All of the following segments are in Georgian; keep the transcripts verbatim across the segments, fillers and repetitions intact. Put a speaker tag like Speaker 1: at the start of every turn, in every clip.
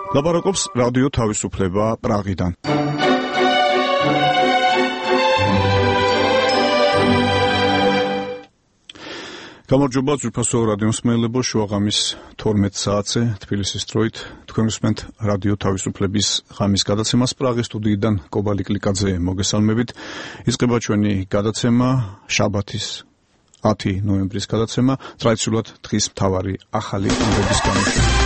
Speaker 1: ლაპარაკობს რადიო თავისუფლება პრაღიდან. გამარჯობა ძვირფასო რადიო მსმენელებო, შუაღამის თორმეტ საათზე თბილისის დროით თქვენ უსმენთ რადიო თავისუფლების ღამის გადაცემას პრაღის სტუდიიდან კობალი კლიკაძე მოგესალმებით. იწყება ჩვენი გადაცემა შაბათის ათი ნოემბრის გადაცემა, ტრადიციულად დღის მთავარი ახალი ამბების გამოშვებით.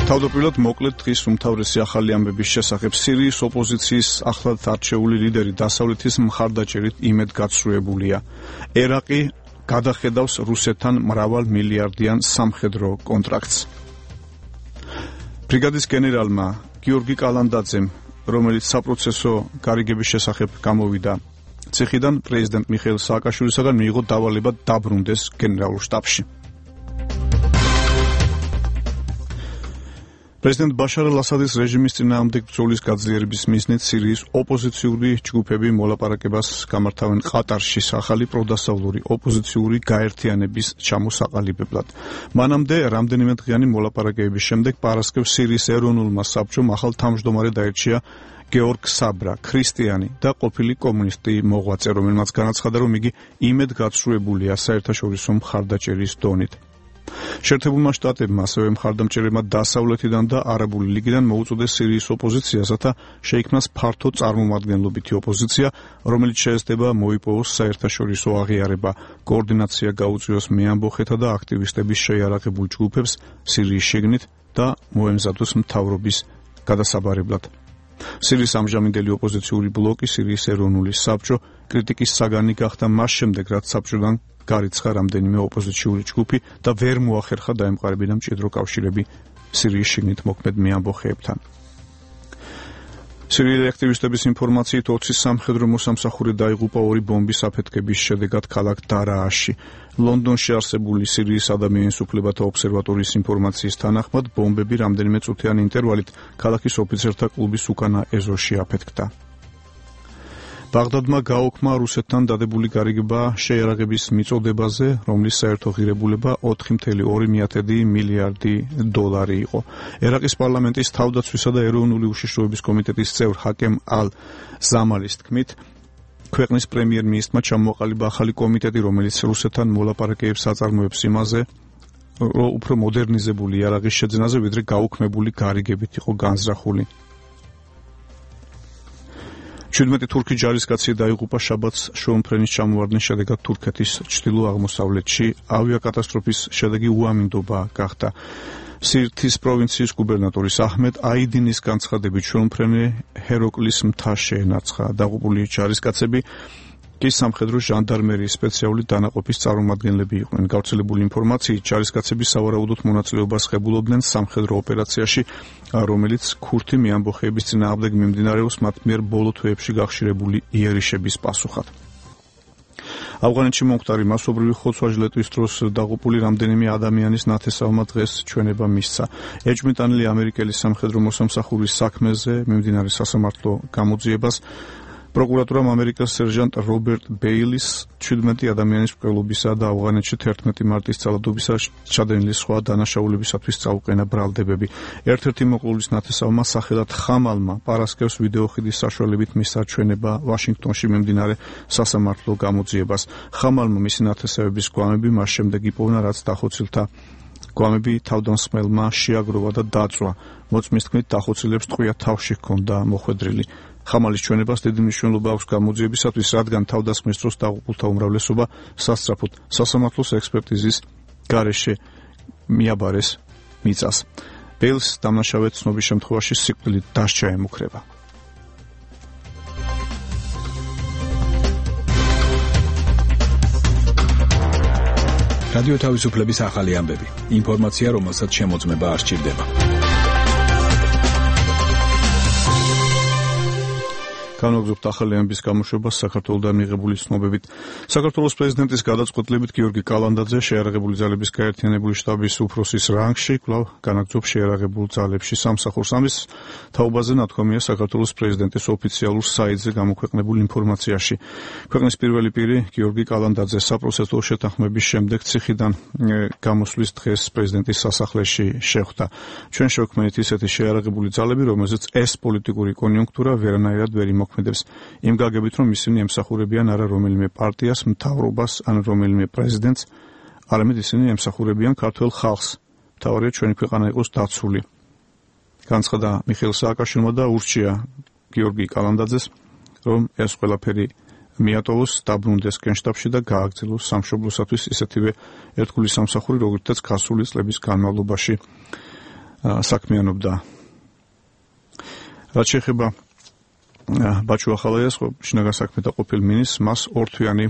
Speaker 1: თავდაპირველად მოკლედ დღის უმთავრესი ახალი ამბების შესახებ. სირიის ოპოზიციის ახლად არჩეული ლიდერი დასავლეთის მხარდაჭერით იმედგაცრუებულია. ერაყი გადახედავს რუსეთთან მრავალ მილიარდიან სამხედრო კონტრაქტს. ბრიგადის გენერალმა გიორგი კალანდაძემ, რომელიც საპროცესო გარიგების შესახებ გამოვიდა ციხიდან, პრეზიდენტ მიხეილ სააკაშვილისაგან მიიღო დავალება დაბრუნდეს გენერალურ შტაბში. პრეზიდენტ ბაშარ ალ-ასადის რეჟიმის წინააღმდეგ ბრძოლის გაძლიერების მიზნით სირიის ოპოზიციური ჯგუფები მოლაპარაკებას გამართავენ ყატარში ახალი პროდასავლური ოპოზიციური გაერთიანების ჩამოსაყალიბებლად. მანამდე რამდენიმე დღიანი მოლაპარაკებების შემდეგ პარასკევს სირიის ეროვნულმა საბჭომ ახალ თავმჯდომარედ აირჩია გეორგ საბრა, ქრისტიანი და ყოფილი კომუნისტი მოღვაწე, რომელმაც განაცხადა, რომ იგი იმედგაცრუებულია საერთაშორისო მხარდაჭერის დონით. შეერთებულმა შტატებმა ასევე მხარდამჭერებმა დასავლეთიდან და არაბული ლიგიდან მოუწოდეს სირიის ოპოზიციას, რათა შეიქმნას ფართო წარმომადგენლობითი ოპოზიცია, რომელიც შეეცდება მოიპოვოს საერთაშორისო აღიარება, კოორდინაცია გაუწიოს მეამბოხეთა და აქტივისტების შეიარაღებულ ჯგუფებს სირიის შიგნით და მოემზადოს მთავრობის გადასაბარებლად. სირიის ამჟამინდელი ოპოზიციური ბლოკი, სირიის ეროვნული საბჭო, კრიტიკის საგანი გახდა მას შემდეგ, რაც საბჭოდან გარიცხა რამდენიმე ოპოზიციური ჯგუფი და ვერ მოახერხა დაემყარებინა მჭიდრო კავშირები სირიის შიგნით მოქმედ მეამბოხეებთან. სირიელი აქტივისტების ინფორმაციით ოცი სამხედრო მოსამსახური დაიღუპა ორი ბომბის აფეთქების შედეგად ქალაქ დარააში. ლონდონში არსებული სირიის ადამიანის უფლებათა ობსერვატორიის ინფორმაციის თანახმად, ბომბები რამდენიმე წუთიანი ინტერვალით ქალაქის ოფიცერთა კლუბის უკანა ეზოში აფეთქდა. ბაღდადმა გააუქმა რუსეთთან დადებული გარიგება შეიარაღების მიწოდებაზე, რომლის საერთო ღირებულება ოთხი წუთი ორი მილიარდი დოლარი იყო. ერაყის პარლამენტის თავდაცვისა და ეროვნული უშიშროების კომიტეტის წევრ ჰაკემ ალ-ზამალის თქმით, ქვეყნის პრემიერ-მინისტრმა ჩამოაყალიბა ახალი კომიტეტი, რომელიც რუსეთთან მოლაპარაკებებს აწარმოებს იმაზე, რომ უფრო მოდერნიზებული იარაღის შეძენაზე, ვიდრე გაუქმებული გარიგებით იყო განზრახული. შვიდმეტი თურქი ჯარისკაცი დაიღუპა შაბათს შუამფრენის ჩამოვარდნის შედეგად თურქეთის ჩრდილო-აღმოსავლეთში. ავიაკატასტროფის შედეგი უამინდობა გახდა. სირთის პროვინციის გუბერნატორის აჰმედ აიდინის განცხადებით, შუამფრენი ჰეროკლის მთა შეენარცხა. დაღუპული ჯარისკაცები კი სამხედრო ჟანდარმერიის სპეციალური დანაყოფის წარმომადგენლები იყვნენ. გავრცელებული ინფორმაციით, ჯარისკაცები სავარაუდოდ მონაწილეობას ღებულობდნენ სამხედრო ოპერაციაში, რომელიც ქურთი მეამბოხეების წინააღმდეგ მიმდინარეობს მათ მიერ ბოლო თვეებში გახშირებული იერიშების პასუხად. ავღანეთში მომხდარი მასობრივი ხოცვა-ჟლეტვის დროს დაღუპული რამდენიმე ადამიანის ნათესავმა დღეს ჩვენება მისცა. ეჭვმიტანილი ამერიკელი სამხედრო მოსამსახურის საქმეზე მიმდინარე სასამართლო გამოძიებას პროკურატურამ ამერიკას სერჟანტ რობერტ ბეილის შვიდმეტი ადამიანის მკვლელობისა და ავღანეთში თერთმეტი მარტის ძალადობისა ჩადენილი სხვა დანაშაულებისათვის წაუყენა ბრალდებები. ერთ-ერთი მოკლულის ნათესავმა სახელად ხამალმა პარასკევს ვიდეოხიდის საშუალებით მისცა ჩვენება ვაშინგტონში მიმდინარე სასამართლო გამოძიებას. ხამალმა მისი ნათესავების გვამები მას შემდეგ იპოვნა, რაც დახოცილთა გვამები თავდამსხმელმა შეაგროვა და დაწვა. მოწმის თქმით, დახოცილებს ტყვია თავში ჰქონდა მოხვედრილი. ხამალის ჩვენებას დიდი მნიშვნელობა აქვს გამოძიებისათვის, რადგან თავდასხმის დროს დაღუპულთა უმრავლესობა სასწრაფოდ სასამართლოს ექსპერტიზის გარეშე მიაბარეს მიწას. ბეილს დამნაშავედ ცნობის შემთხვევაში სიკვდილით დასჯა ემუქრება.
Speaker 2: რადიო თავისუფლების ახალი ამბები. ინფორმაცია, რომელსაც შემოწმება არ სჭირდება.
Speaker 1: განვაგრძობთ ახალი ამბის გამოშვებას საქართველოსთან მიღებული ცნობებით. საქართველოს პრეზიდენტის გადაწყვეტილებით გიორგი კალანდაძე შეიარაღებული ძალების გაერთიანებული შტაბის უფროსის რანგში კვლავ განაგრძობს შეიარაღებულ ძალებში სამსახურს. ამის თაობაზე ნათქვამია საქართველოს პრეზიდენტის ოფიციალურ საიტზე გამოქვეყნებულ ინფორმაციაში. ქვეყნის პირველი პირი გიორგი კალანდაძე საპროცესო შეთანხმების შემდეგ ციხიდან გამოსვლის დღეს პრეზიდენტის სასახლეში შეხვდა. ჩვენ შევქმნით ისეთი შეიარაღებული ძალები, რომელზეც ეს პოლიტიკური კონიუნქტურა ვერანაირად ვერ იმოქმედებს. იმ გაგებით, რომ ისინი ემსახურებიან არა რომელიმე პარტიას, მთავრობას ან რომელიმე პრეზიდენტს, არამედ ისინი ემსახურებიან ქართველ ხალხს. მთავარია ჩვენი ქვეყანა იყოს დაცული. განცხადა მიხეილ სააკაშვილმა და ურჩია გიორგი კალანდაძეს, რომ ეს ყველაფერი მიატოვოს, დაბრუნდეს გენშტაბში და გააგრძელოს სამშობლოსათვის ისეთივე ერთგული სამსახური, როგორიცაც გასული წლების განმავლობაში საქმიანობდა. რაც შეეხება ბაჩუ ახალაიას, შინაგან საქმეთა ყოფილ მინისტრს, მას ორთვიანი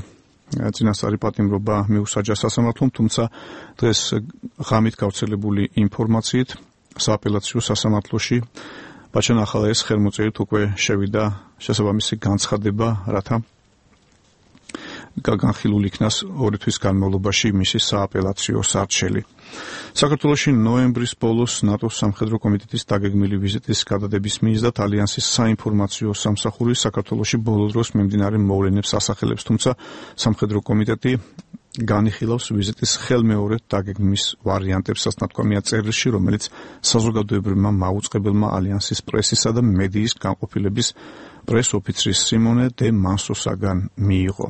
Speaker 1: წინასწარი პატიმრობა მიუსაჯა სასამართლომ, თუმცა დღეს ღამით გავრცელებული ინფორმაციით სააპელაციო სასამართლოში ბაჩან ახალაიას ხელმოწერით უკვე შევიდა შესაბამისი განცხადება, რათა განხილულ იქნას ორი თვის განმავლობაში მისი სააპელაციო სარჩელი. საქართველოში ნოემბრის ბოლოს ნატოს სამხედრო კომიტეტის დაგეგმილი ვიზიტის გადადების მიზნად ალიანსის საინფორმაციო სამსახური საქართველოში ბოლო დროს მიმდინარე მოვლენებს ასახელებს, თუმცა სამხედრო კომიტეტი განიხილავს ვიზიტის ხელმეორედ დაგეგმვის ვარიანტებსაც, ნათქვამია წერილში, რომელიც საზოგადოებრივმა მაუწყებელმა ალიანსის პრესისა და მედიის განყოფილების პრეს-ოფიცრის სიმონე დე მანსოსაგან მიიღო.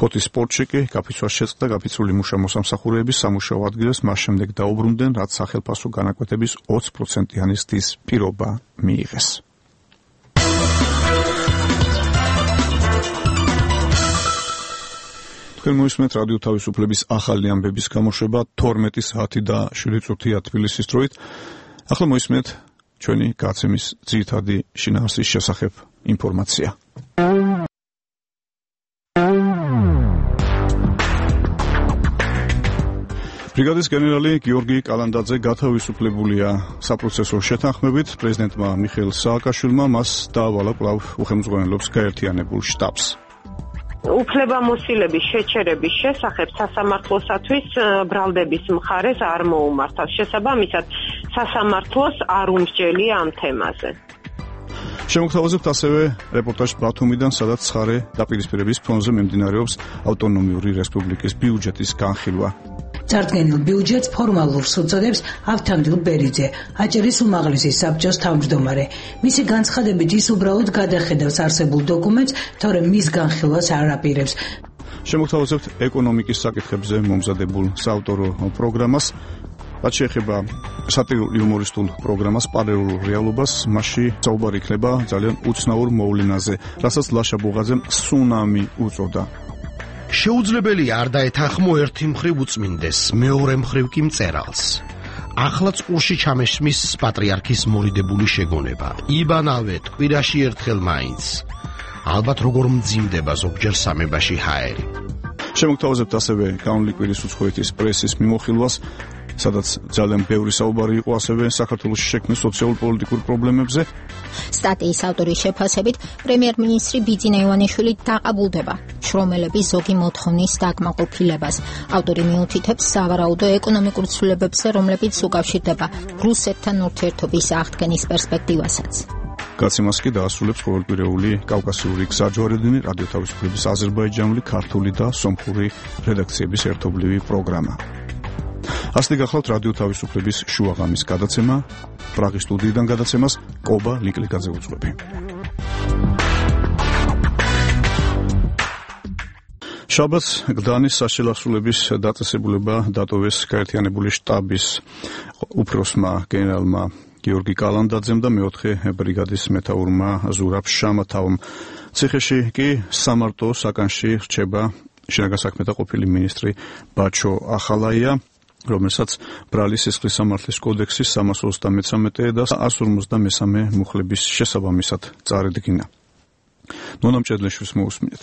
Speaker 1: ფოთის სპორტში კი გაფიცვას შეწყდა გაფიცვული მუშა მოსამსახურეების სამუშაო ადგილას მას შემდეგ დაუბრუნდნენ, რაც სახელმწიფო განაკვეთების ოცი პროცენტიანი ზრდის პირობა მიიღეს. თქვენ მოისმენთ რადიო თავისუფლების ახალი ამბების გამოშვება თორმეტი საათი და შვიდი წუთია თბილისის დროით. ახლა მოისმენთ ჩვენი გაცემის ძირითადი შინაარსის შესახებ ინფორმაცია. ბრიგადის გენერალი გიორგი კალანდაძე გათავისუფლებულია საპროცესო შეთანხმებით. პრეზიდენტმა მიხეილ სააკაშვილმა მას დაავალა კვლავ უხელმძღვანელობს გაერთიანებულ შტაბს.
Speaker 3: უფლებამოსილების შეჩერების შესახებ სასამართლოსათვის ბრალდების მხარეს არ მოუმართავს. შესაბამისად, სასამართლოს არ უმსჯელია ამ თემაზე.
Speaker 1: შემოგთავაზებთ ასევე რეპორტაჟს ბათუმიდან, სადაც ცხარე დაპირისპირების ფონზე მიმდინარეობს ავტონომიური რესპუბლიკის ბიუჯეტის განხილვა.
Speaker 4: წარდგენილ ბიუჯეტს ფორმალურს უწოდებს ავთანდილ ბერიძე, აჭარის უმაღლესი საბჭოს თავმჯდომარე. მისი განცხადებით ის უბრალოდ გადახედავს არსებულ დოკუმენტს, თორემ მის განხილვას არ აპირებს.
Speaker 1: შემოგთავაზებთ ეკონომიკის საკითხებზე მომზადებულ საავტორო პროგრამას. რაც შეეხება სატირულ-იუმორისტულ პროგრამას პარალელურ რეალობას, მასში საუბარი იქნება ძალიან უცნაურ მოვლენაზე, რასაც ლაშა ბუღაძემ სუნამი უწოდა.
Speaker 5: შეუძლებელია არ დაეთანხმო ერთი მხრივ უწმინდეს, მეორე მხრივ კი მწერალს. ახლა წყურში ჩამესმის პატრიარქის მორიდებული შეგონება. იბანავეთ კვირაში ერთხელ მაინც. ალბათ როგორ მძიმდება ზოგჯერ სამებაში ჰაერი.
Speaker 1: შემოგთავაზებთ ასევე განვლილი კვირის უცხოეთის პრესის მიმოხილვას, სადაც ძალიან ბევრი საუბარი იყო ასევე საქართველოში შექმნილ სოციალურ-პოლიტიკურ პრობლემებზე.
Speaker 6: სტატიის ავტორის შეფასებით, პრემიერ-მინისტრი ბიძინა ივანიშვილი დაყაბულდება შრომელების ზოგი მოთხოვნის დაკმაყოფილებას. ავტორი მიუთითებს სავარაუდო ეკონომიკურ ცვლილებებზე, რომლებიც უკავშირდება რუსეთთან ურთიერთობის აღდგენის პერსპექტივასაც.
Speaker 1: გაცემას კი დაასრულებს ყოველკვირეული კავკასიური გზაჯვარედინი, რადიო თავისუფლების აზერბაიჯანული, ქართული და სომხური რედაქციების ერთობლივი პროგრამა. ასეთი გახლავთ რადიო თავისუფლების შუაღამის გადაცემა. პრაღის სტუდიიდან გადაცემას კობა ლიკლიკაძე უძღვები. შაბათს გდანის საშელახსოვრების დაწესებულება დატოვეს გაერთიანებული შტაბის უფროსმა გენერალმა გიორგი კალანდაძემ და მეოთხე ბრიგადის მეთაურმა ზურაბ შამათავმა. ციხეში კი სამარტო საკანში რჩება შინაგან საქმეთა ყოფილი მინისტრი ბაჩო ახალაია, რომელსაც ბრალი სისხლის სამართლის კოდექსის სამას ოცდამეცამეტე და ასს ორმოცდამესამე მუხლების შესაბამისად წარედგინა. ნონა მჭედლიშვილს მოусმინეთ.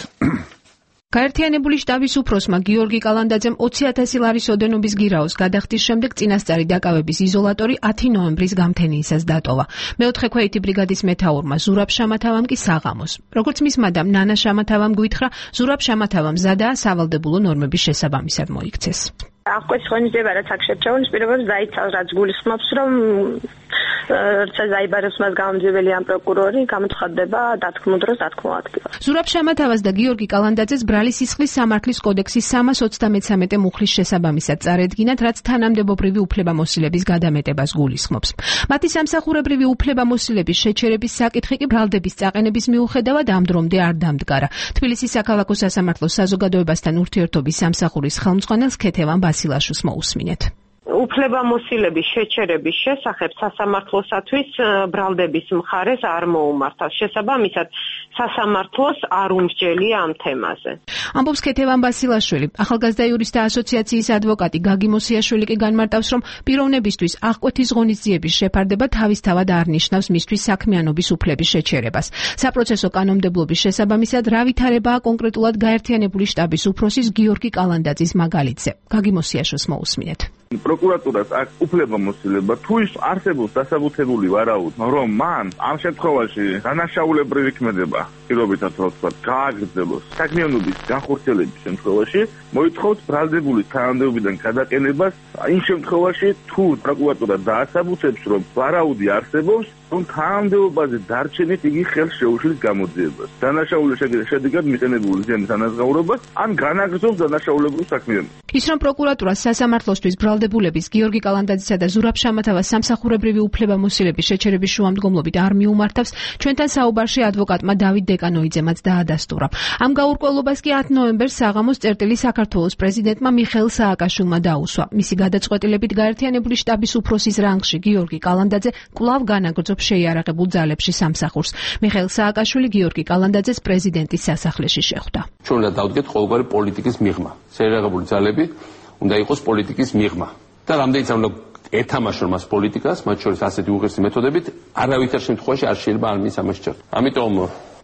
Speaker 7: გაერთიანებული შტაბის უფროსმა გიორგი კალანდაძემ ოცი ათასი ლარის ოდენობის გირაოს გადახდის შემდეგ წინასწარი დაკავების იზოლატორი ათი ნოემბრის გამთენიისას დატოვა. მეოთხე ქვეითი ბრიგადის მეთაურმა ზურაბ შამათავამ კი საღამოს. როგორც მის მადამ ნანა შამათავამ გვითხრა, ზურაბ შამათავამ მზადაა სავალდებულო ნორმების შესაბამისად მოიქცეს.
Speaker 8: აღკვეცი ღონისძიება რაც აქ შერჩეულის პირობებს დაიცავს, რაც გულისხმობს, რომ როცა დაიბარებს მას გამომძიებელი ამ პროკურორი გამოცხადდება დათქმულ დროს დათქმულ ადგილას.
Speaker 7: ზურაბ შამათავას და გიორგი კალანდაძეს ბრალი სისხლის სამართლის კოდექსის სამას ოცდამეცამეტე მუხლის შესაბამისად წარედგინათ, რაც თანამდებობრივი უფლებამოსილების გადამეტებას გულისხმობს. მათი სამსახურებრივი უფლებამოსილების შეჩერების საკითხი კი ბრალდების წაყენების მიუხედავად ამ დრომდე არ დამდგარა. თბილისის საქალაქო სასამართლოს საზოგადოებასთან ურთიერთობის სამსახურის ხელმძღვანელს ქეთევან ბასილაშვილს მოусმინეთ.
Speaker 3: უფლებამოსილების შეჩერების შესახებ სასამართლოსათვის ბრალდების მხარეს არ მოუმართავს. შესაბამისად, სასამართლოს არ უმსჯელია ამ თემაზე.
Speaker 7: ამბობს ქეთევან ბასილაშვილი. ახალგაზრდა იურისტთა ასოციაციის ადვოკატი გაგი მოსიაშვილი კი განმარტავს, რომ პიროვნებისთვის აღკვეთის ღონისძიების შეფარდება თავისთავად არ ნიშნავს მისთვის საქმიანობის უფლების შეჩერებას. საპროცესო კანონმდებლობის შესაბამისად რა ვითარებაა კონკრეტულად გაერთიანებული შტაბის უფროსის გიორგი კალანდაძის მაგალითზე. გაგი მოსიაშვილს მოусმინეთ.
Speaker 9: პროკურატურას აქვს უფლებამოსილება თუ ის არსებობს დასაბუთებული ვარაუდი, რომ მან ამ შემთხვევაში დანაშაულებრივი ქმედება პირობითად რო ვთქვათ, გააგრძელოს საქმიანობის განხორციელების შემთხვევაში, მოითხოვთ ბრალდებულის თანამდებობიდან გადაყენებას იმ შემთხვევაში, თუ პროკურატურა დაასაბუთებს, რომ ვარაუდი არსებობს, რომ თანამდებობაზე დარჩენით იგი ხელს შეუშლის გამოძიებას. დანაშაულის შედეგად მიყენებული ზიანის ანაზღაურებას ან განაგრძობს დანაშაულებრივ საქმიანობას.
Speaker 7: ის რომ პროკურატურა სასამართლოსთვის ბრალდებულების გიორგი კალანდაძისა და ზურაბ შამათავას სამსახურებრივი უფლებამოსილების შეჩერების შუამდგომლობით არ მიუმართავს, ჩვენთან საუბარში ადვოკატმა დავით დეკანოიძემაც დაადასტურა. ამ გაურკვევლობას კი ათი ნოემბერს საღამოს წერტილი საქართველოს პრეზიდენტმა მიხეილ სააკაშვილმა დაუსვა. მისი გადაწყვეტილებით გაერთიანებული შტაბის უფროსის რანგში გიორგი კალანდაძე კვლავ განაგრძობს შეიარაღებულ ძალებში სამსახურს. მიხეილ სააკაშვილი გიორგი კალანდაძეს პრეზიდენტის სასახლეში შეხვდა.
Speaker 10: ჩვენ უნდა დავდგეთ ყოველგვარი პოლიტიკის მიღმა. შეიარაღებული ძალები უნდა იყოს პოლიტიკის მიღმა. და რამდენიც უნდა ეთამაშონ მას პოლიტიკას, მათ შორის ასეთი უღირსი მეთოდებით, არავითარ შემთხვევაში არ შეიძლება არ მის ამას ჭერთ. ამიტომ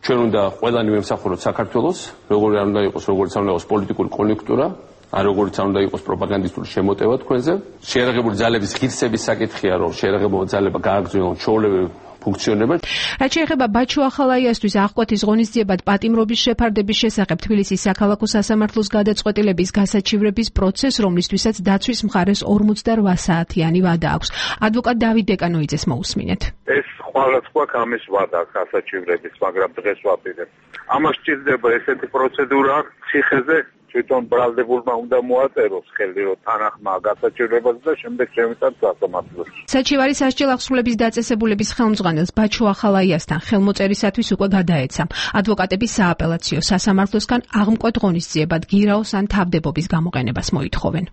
Speaker 10: ჩვენ უნდა ყველანი ვემსახუროთ საქართველოს, როგორი არ უნდა იყოს, როგორც არ უნდა იყოს პოლიტიკური კონიუნქტურა, არ როგორც არ უნდა იყოს პროპაგანდისტული შემოტევა თქვენზე. შეიარაღებული ძალების ღირსების საკითხია, რომ შეიარაღებული ძალება გააგრძელონ ჩვეულებრივ ფუნქციონირება.
Speaker 7: რაც შეეხება ბაჩო ახალაიასთვის აღკვეთის ღონისძიებად პატიმრობის შეფარდების შესახებ თბილისის საქალაქო სასამართლოს გადაწყვეტილების გასაჩივრების პროცესს, რომლისთვისაც დაცვის მხარეს ორმოცდაოთხ საათიანი ვადა აქვს. ადვოკატ დავით დეკანოიძეს მოусმინეთ.
Speaker 9: ეს ყველას გვაქვს ამის ვადა გასაჩივრების, მაგრამ დღეს ვაპირებ. ამას სჭირდება ესეთი პროცედურა ციხეზე თვითონ ბრალდებულმა უნდა მოაწეროს ხელი, რომ თანახმა გასაჩივრებას და შემდეგ შემიტანს სასამართლოს.
Speaker 7: საჩივარი სასჯელ აღსრულების დაწესებულების ხელმძღვანელს ბაჩო ახალაიასთან ხელმოწერისათვის უკვე გადაეცა. ადვოკატები სააპელაციო სასამართლოსგან აღმკვეთ ღონისძიებად გირაოს ან თავდებობის გამოყენებას მოითხოვენ.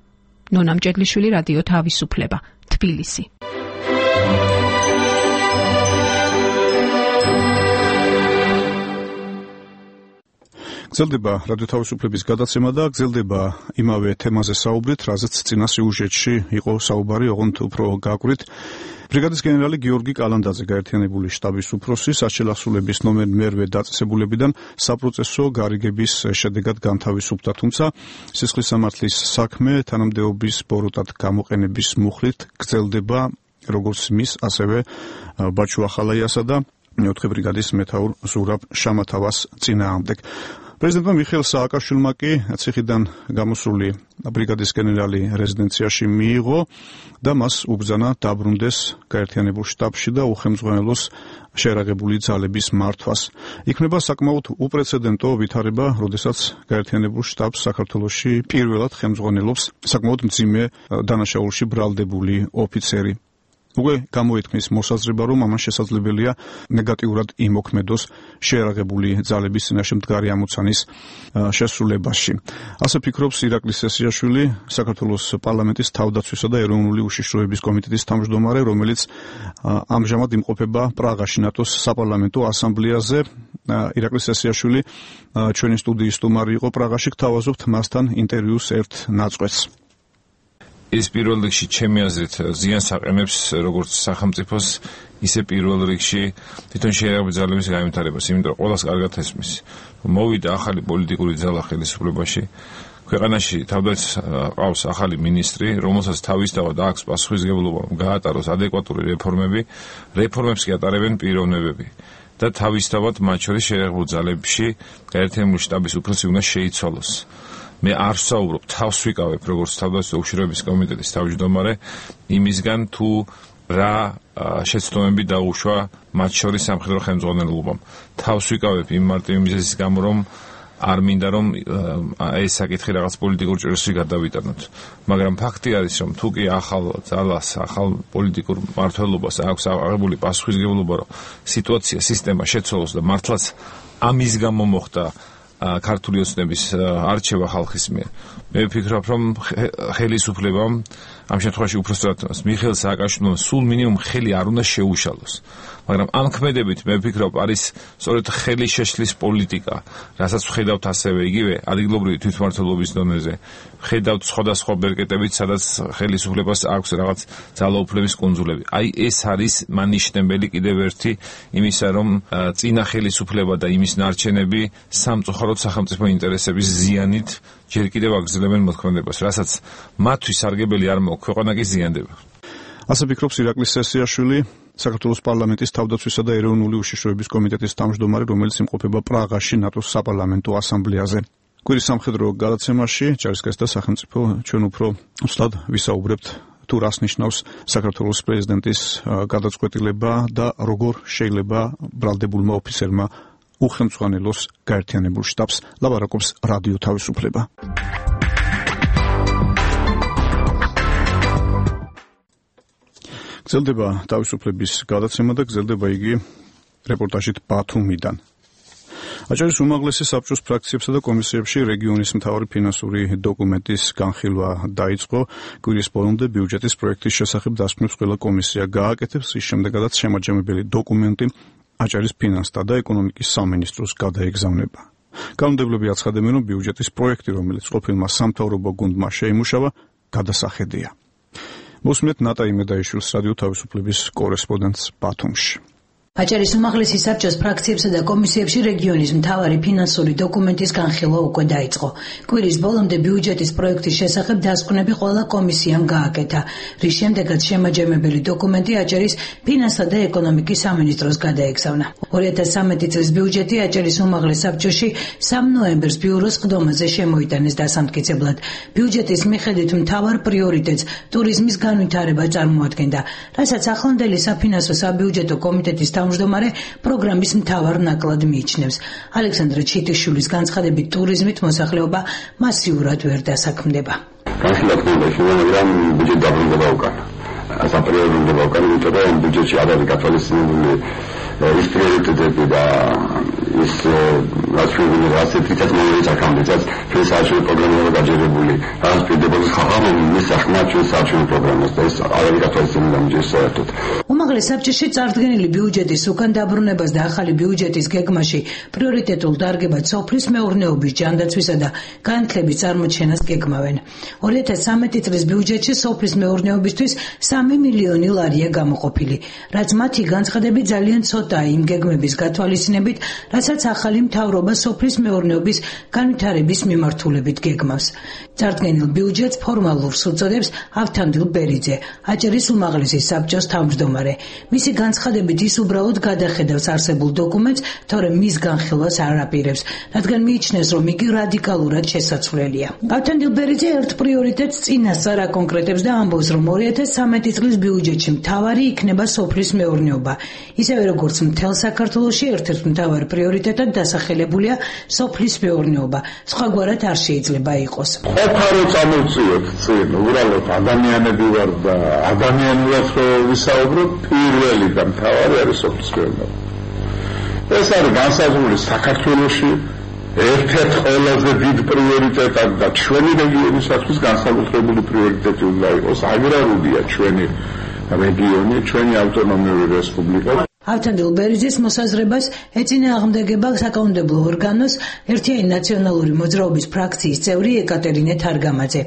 Speaker 7: ნონა მჭედლიშვილი, რადიო თავისუფლება, თბილისი.
Speaker 1: გრძელდება რადიო თავისუფლების გადაცემა და გრძელდება იმავე თემაზე საუბრით, რაზეც წინა სიუჟეტში იყო საუბარი, ოღონდ უფრო გაგვით. ბრიგადის გენერალი გიორგი კალანდაძე გაერთიანებული შტაბის უფროსი სასჯელ აღსრულების ნომერ მერვე დაწესებულებიდან საპროცესო გარიგების შედეგად განთავისუფლდა, თუმცა სისხლის სამართლის საქმე თანამდებობის ბოროტად გამოყენების მუხლით გრძელდება როგორც მის, ასევე ბაჩო ახალაიასა და მეოთხე ბრიგადის მეთაურ ზურაბ შამათავას წინააღმდეგ. პრეზიდენტმა მიხეილ სააკაშვილმა კი ციხიდან გამოსული ბრიგადის გენერალი რეზიდენციაში მიიღო და მას უბრძანა დაბრუნდეს გაერთიანებულ შტაბში და უხელმძღვანელოს შეიარაღებული ძალების მართვას. იქნება საკმაოდ უპრეცედენტო ვითარება, როდესაც გაერთიანებულ შტაბს საქართველოში პირველად ხელმძღვანელობს საკმაოდ მძიმე დანაშაულში ბრალდებული ოფიცერი. უკვე გამოითქმის მოსაზრება, რომ ამან შესაძლებელია ნეგატიურად იმოქმედოს შეიარაღებული ძალების წინაშე მდგარი ამოცანის შესრულებაში. ასე ფიქრობს ირაკლი სესიაშვილი, საქართველოს პარლამენტის თავდაცვისა და ეროვნული უშიშროების კომიტეტის თავმჯდომარე, რომელიც ამჟამად იმყოფება პრაღაში ნატოს საპარლამენტო ასამბლეაზე. ირაკლი სესიაშვილი ჩვენი სტუდიის სტუმარი იყო პრაღაში, გთავაზობთ მასთან ინტერვიუს ერთ ნაწყვეტს.
Speaker 11: ეს პირველ რიგში ჩემი აზრით ზიანს აყენებს როგორც სახელმწიფოს, ისე პირველ რიგში თვითონ შეერაღებული ძალების განვითარებას, იმიტომ რომ ყველას კარგად ესმის. მოვიდა ახალი პოლიტიკური ძალა ხელისუფლებაში. ქვეყანაში თავდაც ყავს ახალი მინისტრი, რომელსაც თავისთავად აქვს პასუხისმგებლობა გაატაროს ადეკვატური რეფორმები, რეფორმებს კი ატარებენ პიროვნებები და თავისთავად მათ შორის შეერაღებულ ძალებში გაერთიანებული შტაბის უფროსი უნდა შეიცვალოს. მე არ ვსაუბრობ, თავს ვიკავებ როგორც თავდაცვის უშიშროების კომიტეტის თავმჯდომარე იმისგან თუ რა შეცდომები დაუშვა მათ შორის სამხედრო ხელმძღვანელობამ. თავს ვიკავებ იმ მარტივი მიზეზის გამო, რომ არ მინდა რომ ეს საკითხი რაღაც პოლიტიკურ ჭრილში გადავიტანოთ. მაგრამ ფაქტი არის, რომ თუ კი ახალ ძალას, ახალ პოლიტიკურ მმართველობას აქვს აღებული პასუხისმგებლობა, რომ სიტუაცია, სისტემა შეცვალოს და მართლაც ამის გამო მოხდა ქართული ოცნების არჩევა ხალხის მიერ. მე ვფიქრობ, რომ ხელისუფლებამ ამ შემთხვევაში უпроსტად მიხეილ სააკაშვილმა სულ მინიმუმ ხელი არ უნდა შეუშალოს. მაგრამ ამ ქმედებით მე ვფიქრობ, არის სწორედ ხელის შეშლის პოლიტიკა, რასაც ვხედავთ ასევე იგივე ადგილობრივი თვითმმართველობის დონეზე. ვხედავთ სხვადასხვა ბერკეტებით, სადაც ხელისუფლებას აქვს რაღაც ძალაუფლების კუნძულები. აი ეს არის მანიშნებელი კიდევ ერთი იმისა, რომ წინა ხელისუფლება და იმის ნარჩენები სამწუხაროდ სახელმწიფო ინტერესების ზიანით ჯერ კიდევ აგრძელებენ მოქმედებას, რასაც მათთვის სარგებელი არ მოაქვს, ქვეყანა კი ზიანდება.
Speaker 1: ასე ფიქრობს ირაკლი სესიაშვილი, საქართველოს პარლამენტის თავდაცვისა და ეროვნული უშიშროების კომიტეტის თავმჯდომარე, რომელიც იმყოფება პრაღაში ნატოს საპარლამენტო ასამბლეაზე. კვირის სამხედრო გადაცემაში ჯარისკაცი და სახელმწიფო ჩვენ უფრო უსლად ვისაუბრებთ თუ რას ნიშნავს საქართველოს პრეზიდენტის გადაწყვეტილება და როგორ შეიძლება ბრალდებულმა ოფიცერმა უხელმძღვანელოს გაერთიანებულ შტაბს. ლაპარაკობს რადიო თავისუფლება. გრძელდება თავისუფლების გადაცემა და გრძელდება იგი რეპორტაჟით ბათუმიდან. აჭარის უმაღლესი საბჭოს ფრაქციებსა და კომისიებში რეგიონის მთავარი ფინანსური დოკუმენტის განხილვა დაიწყო. კვირის ბოლომდე ბიუჯეტის პროექტის შესახებ დასკვნებს ყველა კომისია გააკეთებს, ის შემდეგაც შემაჯამებელი დოკუმენტი აჭარის ფინანსთა და ეკონომიკის სამინისტროს გადაეგზავნება. კანონმდებლები აცხადებენ, რომ ბიუჯეტის პროექტი, რომელიც ყოფილმა სამთავრობო გუნდმა შეიმუშავა, გადასახედია. მოსმენთ ნატა იმედაიშვილს, რადიო თავისუფლების კორესპონდენტს ბათუმში.
Speaker 4: აჭარის უმაღლესი საბჭოს ფრაქციებსა და კომისიებში რეგიონის მთავარი ფინანსური დოკუმენტის განხილვა უკვე დაიწყო. კვირის ბოლომდე ბიუჯეტის პროექტის შესახებ დასკვნები ყველა კომისიამ გააკეთა, რის შემდეგაც შემაჯამებელი დოკუმენტი აჭარის ფინანსთა და ეკონომიკის სამინისტროს გადაეგზავნა. ორი ათას სამი წლის ბიუჯეტი აჭარის უმაღლეს საბჭოში სამ ნოემბერს ბიუროს ყდომაზე შემოიტანეს დასამტკიცებლად. ბიუჯეტის მიხედვით მთავარ პრიორიტეტს ტურიზმის განვითარება წარმოადგენდა, რასაც ახლანდელი საფინანსო საბიუჯეტო კომიტეტის თავმჯდომარე პროგრამის მთავარ ნაკლად მიიჩნევს. ალექსანდრე ჩიტიშვილის განცხადებით, ტურიზმით მოსახლეობა მასიურად ვერ დასაქმდება.
Speaker 12: განსაკუთრებით, მაგრამ ბიუჯეტი დაბრუნდება უკან. საპრიორიტეტო უკან, იმიტომ რომ ბიუჯეტში არ არის გათვალისწინებული ის პრიორიტეტები და ის რაციონალური ასეთიცაც მომენტი საკამბიცაც ჩვენ საერთოდ პროგრამაა გაჯერებული. რაც პირდებოდა ხალხმა მისახმა ჩვენ საერთოდ პროგრამას და ეს არ არის გათვალისწინებული ამჯერ საერთოდ.
Speaker 4: უმაღლეს საბჭოში წარდგენილი ბიუჯეტის უკან დაბრუნებას და ახალი ბიუჯეტის გეგმაში პრიორიტეტულ დარგებად სოფლის მეურნეობის ჯანდაცვისა და განათლების წარმოჩენას გეგმავენ. ორი ათას სამი წლის ბიუჯეტში სოფლის მეურნეობისთვის სამი მილიონი ლარია გამოყოფილი, რაც მათი განცხადებით ძალიან ცოტაა იმ გეგმების გათვალისწინებით, რასაც ახალი მთავრობა სოფლის მეურნეობის განვითარების მიმართულებით გეგმავს. წარდგენილ ბიუჯეტს ფორმალურს უწოდებს ავთანდილ ბერიძე, აჭარის უმაღლესი საბჭოს თავმჯდომარე. მისი განცხადებით ის უბრალოდ გადახედავს არსებულ დოკუმენტს, თორემ მის განხილვას არ აპირებს, რადგან მიიჩნევს, რომ იგი რადიკალურად შესაძლებელია. ავთანდილ ბერიძე ერთ პრიორიტეტს წინასწარ აკონკრეტებს და ამბობს, რომ ორი ათას სამი წლის ბიუჯეტში მთავარი იქნება სოფლის მეურნეობა. ისევე როგორც მთელ საქართველოში ერთ-ერთ მთავარ პრიორიტეტად დასახელებულია სოფლის მეურნეობა. სხვაგვარად არ შეიძლება იყოს.
Speaker 13: ყოფარო წამოვწიოთ წინ, უბრალოდ ადამიანები ვარ და ადამიანურად ვისაუბროთ, პირველი და მთავარი არის სოფლის მეურნეობა. ეს არის განსაზღვრული საქართველოში ერთ-ერთ ყველაზე დიდ პრიორიტეტად და ჩვენი რეგიონისათვის განსაკუთრებული პრიორიტეტი უნდა იყოს. აგრარულია ჩვენი რეგიონი, ჩვენი ავტონომიური რესპუბლიკა.
Speaker 4: ავთანდილ ბერიძის მოსაზრებას ეწინააღმდეგება საკანონმდებლო ორგანოს ერთიანი ნაციონალური მოძრაობის ფრაქციის წევრი ეკატერინე თარგამაძე.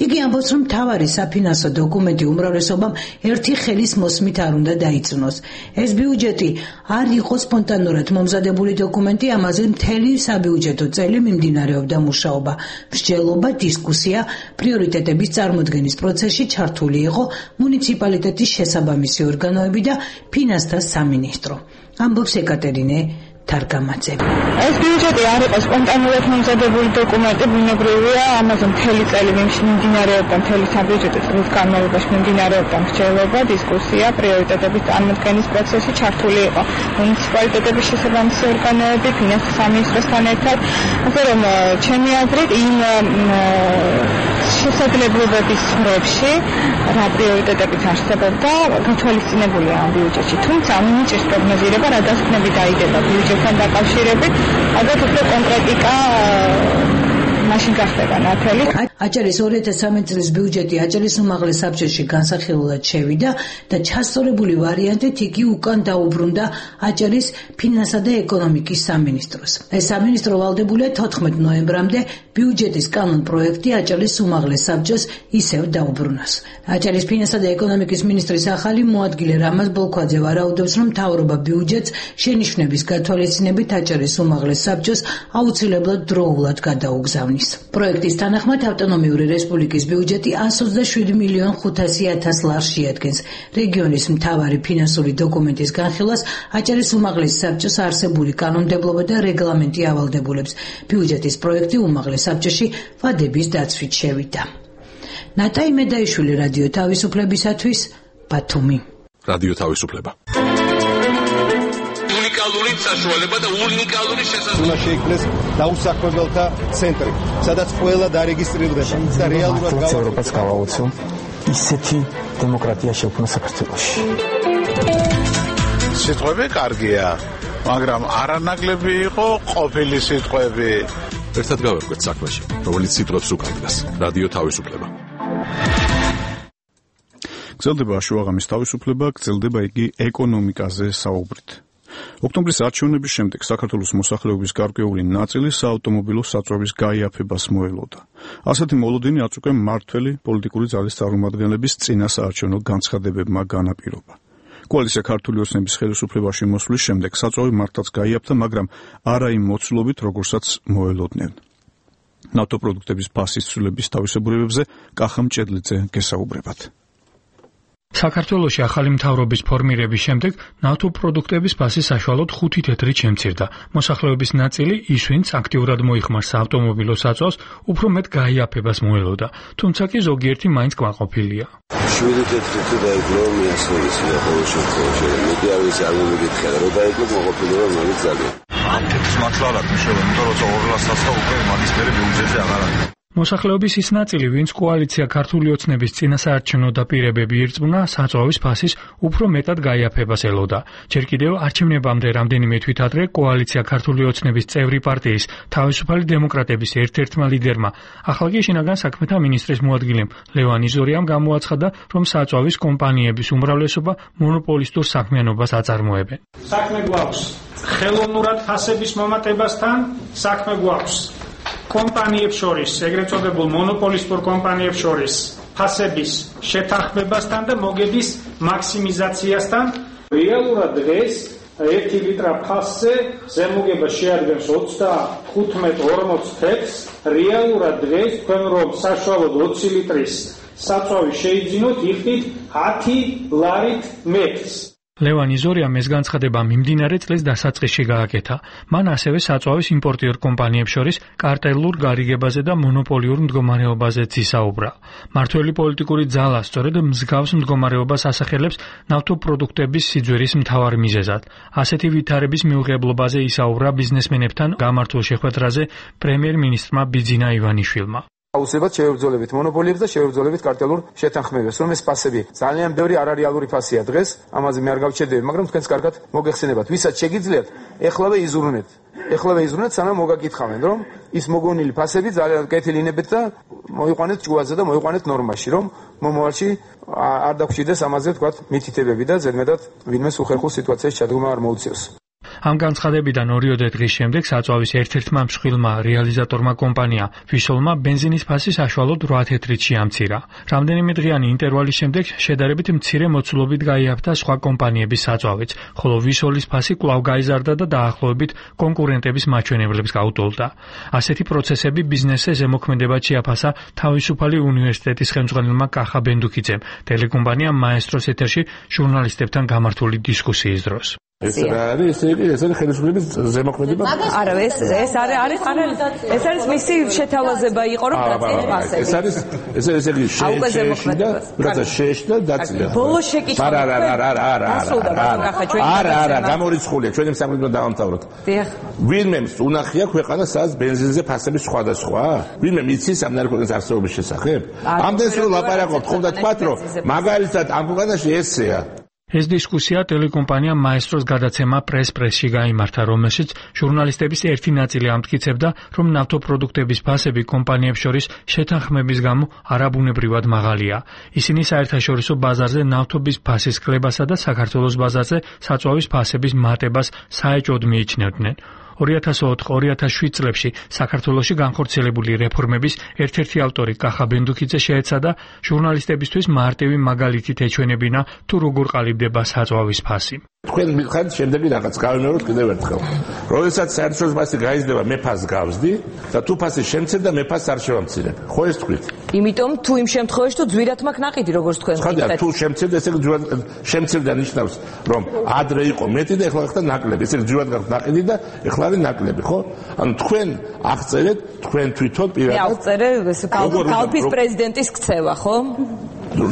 Speaker 4: იგი ამბობს, რომ მთავარი საფინანსო დოკუმენტი უმრავლესობამ ერთი ხელის მოსმით არ უნდა დაიწვნოს. ეს ბიუჯეტი არ იყო სპონტანურად მომზადებული დოკუმენტი, ამაზე მთელი საბიუჯეტო წელი მიმდინარეობდა მუშაობა, მსჯელობა, დისკუსია, პრიორიტეტების წარმოდგენის პროცესში ჩართული იყო მუნიციპალიტეტის შესაბამისი ორგანოები და ფინანსთა სამინისტრო. ამბობს ეკატერინე თარგამაძე.
Speaker 14: ეს ბიუჯეტი არ იყო სპონტანურად მომზადებული დოკუმენტი, ბუნებრივია, ამაზე მთელი წელი მიმდინარეობდა, მთელი საბიუჯეტო წლის განმავლობაში მიმდინარეობდა მსჯელობა, დისკუსია, პრიორიტეტების წარმოდგენის პროცესში ჩართული იყო მუნიციპალიტეტების შესაბამისი ორგანოები, ფინანსთა სამინისტროსთან ერთად, ასე რომ ჩემი აზრით იმ შესაძლებლობების სფეროში რა პრიორიტეტებიც არსებობდა, გათვალისწინებულია ამ ბიუჯეტში. თუმცა მინიჭის პროგნოზირება რა დასკვნები დაიდება ბიუჯეტთან დაკავშირებით, ალბათ უფრო კონკრეტიკა მაშინ გახდება ნათელი.
Speaker 4: აჭარის ორი ათას სამი წლის ბიუჯეტი აჭარის უმაღლეს საბჭოში განსახილველად შევიდა და ჩასწორებული ვარიანტით იგი უკან დაუბრუნდა აჭარის ფინანსა და ეკონომიკის სამინისტროს. ეს სამინისტრო ვალდებულია თოთხმეტ ნოემბრამდე ბიუჯეტის კანონ პროექტი აჭარის უმაღლეს საბჭოს ისევ დაუბრუნოს. აჭარის ფინანსა და ეკონომიკის მინისტრის ახალი მოადგილე რამაზ ბოლქვაძე ვარაუდობს, რომ მთავრობა ბიუჯეტს შენიშვნების გათვალისწინებით აჭარის უმაღლეს საბჭოს აუცილებლად დროულად გადაუგზავნის. პროექტის თანახმად ავტონომიური რესპუბლიკის ბიუჯეტი εκατს ოცდაშვიდი მილიონ ხუთასი ათას ლარს შეადგენს. რეგიონის მთავარი ფინანსური დოკუმენტის განხილვას აჭარის უმაღლეს საბჭოს არსებული კანონმდებლობა და რეგლამენტი ავალდებულებს. ბიუჯეტის პროექტი უმაღლეს საბჭოში ვადების დაცვით შევიდა. ნატაი მედაიშვილი, რადიო თავისუფლებისათვის, ბათუმი.
Speaker 2: რადიო თავისუფლება.
Speaker 10: უნიკალური საშუალება და უნიკალური შესაძლებლობა.
Speaker 15: უნდა შეიქმნეს დაუსაქმებელთა ცენტრი, სადაც ყველა დარეგისტრირდება და რეალურად
Speaker 16: ევროპას გავაუცო ისეთი დემოკრატია შექმნა საქართველოში.
Speaker 13: სიტყვები კარგია, მაგრამ არანაკლები იყო ყოფილი სიტყვები.
Speaker 2: ერთად გავერკვეთ საქმეში, რომელიც სიტყვებს უკავშირდება. რადიო თავისუფლება.
Speaker 1: გრძელდება შუაღამის თავისუფლება, გრძელდება იგი ეკონომიკაზე საუბრით. ოქტომბრის არჩევნების შემდეგ საქართველოს მოსახლეობის გარკვეული ნაწილი საავტომობილო საწვავის გაიაფებას მოელოდა. ასეთი მოლოდინი არც უკვე მმართველი პოლიტიკური ძალის წარმომადგენლების წინასაარჩევნო განცხადებებმა განაპირობა. კოალიცია ქართული ოცნების ხელისუფლებაში მოსვლის შემდეგ საწვავი მართლაც გაიაფთა, მაგრამ არა იმ მოცულობით, როგორცაც მოელოდნენ. ნავთო პროდუქტების ფასის ცვლილების თავისებურებებზე კახა მჭედლიძე გესაუბრებათ.
Speaker 17: საქართველოში ახალი მთავრობის ფორმირების შემდეგ ნავთო პროდუქტების ფასი საშუალოდ ხუთი თეთრით შემცირდა. მოსახლეობის ნაწილი, ის ვინც აქტიურად მოიხმარს საავტომობილო საწვავს, უფრო მეტ გაიაფებას მოელოდა, თუმცა კი ზოგიერთი მაინც კმაყოფილია.
Speaker 18: შვიდი თეთრით დაიკლო მიასწორისია ყოველ შემთხვევაში. მეტი არ ვიცი, არ მომიგითხა, რომ დაიკლო კმაყოფილება მაგით ძალიან.
Speaker 19: ამ თეთრს მართლა არ აქვს მნიშვნელობა, იმიტომ რომ ორ ლარსსა უკვე მაგისტერი ბიუჯეტზე აღარ არის.
Speaker 17: მოსახლეობის ის ნაწილი, ვინც კოალიცია ქართული ოცნების წინასაარჩევნო დაპირებები ირწმუნა, საწვავის ფასის უფრო მეტად გაიაფებას ელოდა. ჯერ კიდევ არჩევნებამდე რამდენიმე თვით ადრე კოალიცია ქართული ოცნების წევრი პარტიის თავისუფალი დემოკრატების ერთ-ერთმა ლიდერმა, ახლა კი შინაგან საქმეთა მინისტრის მოადგილემ ლევან იზორიამ გამოაცხადა, რომ საწვავის კომპანიების უმრავლესობა მონოპოლისტურ საქმიანობას აწარმოებენ.
Speaker 20: საქმე გვაქვს ხელოვნურად ფასების მომატებასთან, საქმე გვაქვს კომპანიებს შორის, ეგრეთ წოდებულ მონოპოლისტურ კომპანიებს შორის ფასების შეთანხმებასთან და მოგების მაქსიმიზაციასთან. რეალურად დღეს ერთი ლიტრა ფასზე ზემოგება შეადგენს ოცდახუთმეტ ორმოც თეთრს. რეალურად დღეს თქვენ რომ საშუალოდ ოცი ლიტრის საწვავი შეიძინოთ, იხდით ათი ლარით მეტრს.
Speaker 17: ლევან იზორიამ ეს განცხადება მიმდინარე წლის დასაწყისში გააკეთა. მან ასევე საწვავის იმპორტიორ კომპანიებს შორის კარტელურ გარიგებაზე და მონოპოლიურ მდგომარეობაზეც ისაუბრა. მმართველი პოლიტიკური ძალა სწორედ მსგავს მდგომარეობას ასახელებს ნავთო პროდუქტების სიძვერის მთავარ მიზეზად. ასეთი ვითარების მიუღებლობაზე ისაუბრა ბიზნესმენებთან გამართულ შეხვედრაზე პრემიერ-მინისტრმა ბიძინა ივანიშვილმა.
Speaker 21: აუცილებლად შევებრძოლებით მონოპოლიებს და შევებრძოლებით კარტელურ შეთანხმებებს, რომ ეს ფასები ძალიან ბევრი არარეალური ფასია დღეს, ამაზე მე არ გავჩერდები, მაგრამ თქვენს კარგად მოგეხსენებათ, ვისაც შეგიძლიათ, ეხლავე იზრუნეთ. ეხლა ვეიზრუნეთ, სანამ მოგაკითხავენ, რომ ის მოგონილი ფასები ძალიან კეთილინებით და მოიყვანეთ ჭუაზე და მოიყვანეთ ნორმაში, რომ მომავალში არ დაგხვიდეს ამაზე თქვათ მითითებები და ზედმეტად ვინმეს უხერხულ სიტუაციაში ჩადგომა არ მოუწიოს.
Speaker 17: ამ განცხადებიდან ორიოდე დღის შემდეგ საწვავის ერთ-ერთმა მსხვილმა რეალიზატორმა კომპანია ვისოლმა ბენზინის ფასი საშუალოდ რვა თეთრით შეამცირა. რამდენიმე დღიანი ინტერვალის შემდეგ შედარებით მცირე მოცულობით გაიაფთა სხვა კომპანიების საწვავიც, ხოლო ვისოლის ფასი კვლავ გაიზარდა და დაახლოებით კონკურენტების მაჩვენებლებს გაუტოლდა. ასეთი პროცესები ბიზნესზე ზემოქმედებად შეაფასა თავისუფალი უნივერსიტეტის ხელმძღვანელმა კახა ბენდუქიძემ ტელეკომპანია მაესტროს ეთერში ჟურნალისტებთან გამართული დისკუსიის დროს.
Speaker 5: ეს რა არის? ეს იგი ეს არის ხელისუფლების ზემოქმედება?
Speaker 22: არა, ეს ეს არის არის არის ეს არის მისი შეთავაზება იყო რომ დაწინა ფასები.
Speaker 5: ეს არის ეს ეს იგი შეშდა, რაცა შეშდა დაწინა.
Speaker 22: ბოლო შეკითხვა.
Speaker 5: არა, არა, არა, არა, არა, არა. არა, არა, გამორიცხულია. ჩვენი სამხედრო დავამთავროთ. დიახ. ვინმე უნახია ქვეყანა სადაც ბენზინზე ფასები სხვადასხვა? ვინმე იცის ამ ნარკოტიკის არსებობის შესახებ? ამდენს რომ ლაპარაკობთ, ხომ და თქვათ რომ მაგალითად ამ ქვეყანაში ესეა.
Speaker 17: ეს დისკუსია ტელეკომპანია მაესტროს გადაცემა პრეს-პრესში გაიმართა, რომელშიც ჟურნალისტების ერთი ნაწილი ამტკიცებდა, რომ ნავთობპროდუქტების ფასები კომპანიებს შორის შეთანხმების გამო არაბუნებრივად მაღალია. ისინი საერთაშორისო ბაზარზე ნავთობის ფასის კლებასა და საქართველოს ბაზარზე საწვავის ფასების მატებას საეჭვოდ მიიჩნევდნენ. ორი ათას ოთხ ორი ათას შვიდ წლებში საქართველოში განხორციელებული რეფორმების ერთ-ერთი ავტორი კახა ბენდუქიძე შეეცადა ჟურნალისტებისთვის მარტივი მაგალითით ეჩვენებინა თუ როგორ ყალიბდება საწვავის ფასი.
Speaker 5: თქვენ მითხარით შემდეგი რაღაც გავიმეოროთ კიდევ ერთხელ. როდესაც საერთაშორისო ფასი გაიზრდება, მე ფასს გავზდი და თუ ფასი შემცირდა, მე ფასს არ შევამცირებ. ხო ეს თქვით?
Speaker 22: იმიტომ თუ იმ შემთხვევაში თუ ძვირად მაქვს ნაყიდი, როგორც თქვენ
Speaker 5: ხართ. თუ შემცირდა, ესე იგი ძვირად შემცირდა ნიშნავს, რომ ადრე იყო მეტი და ეხლა ხდა ნაკლები. ესე იგი ძვირად გაქვს ნაყიდი და ეხლა არის ნაკლები, ხო? ანუ თქვენ აღწერეთ, თქვენ თვითონ პირადად.
Speaker 22: მე აღწერე ეს კალფის პრეზიდენტის ქცევა, ხო?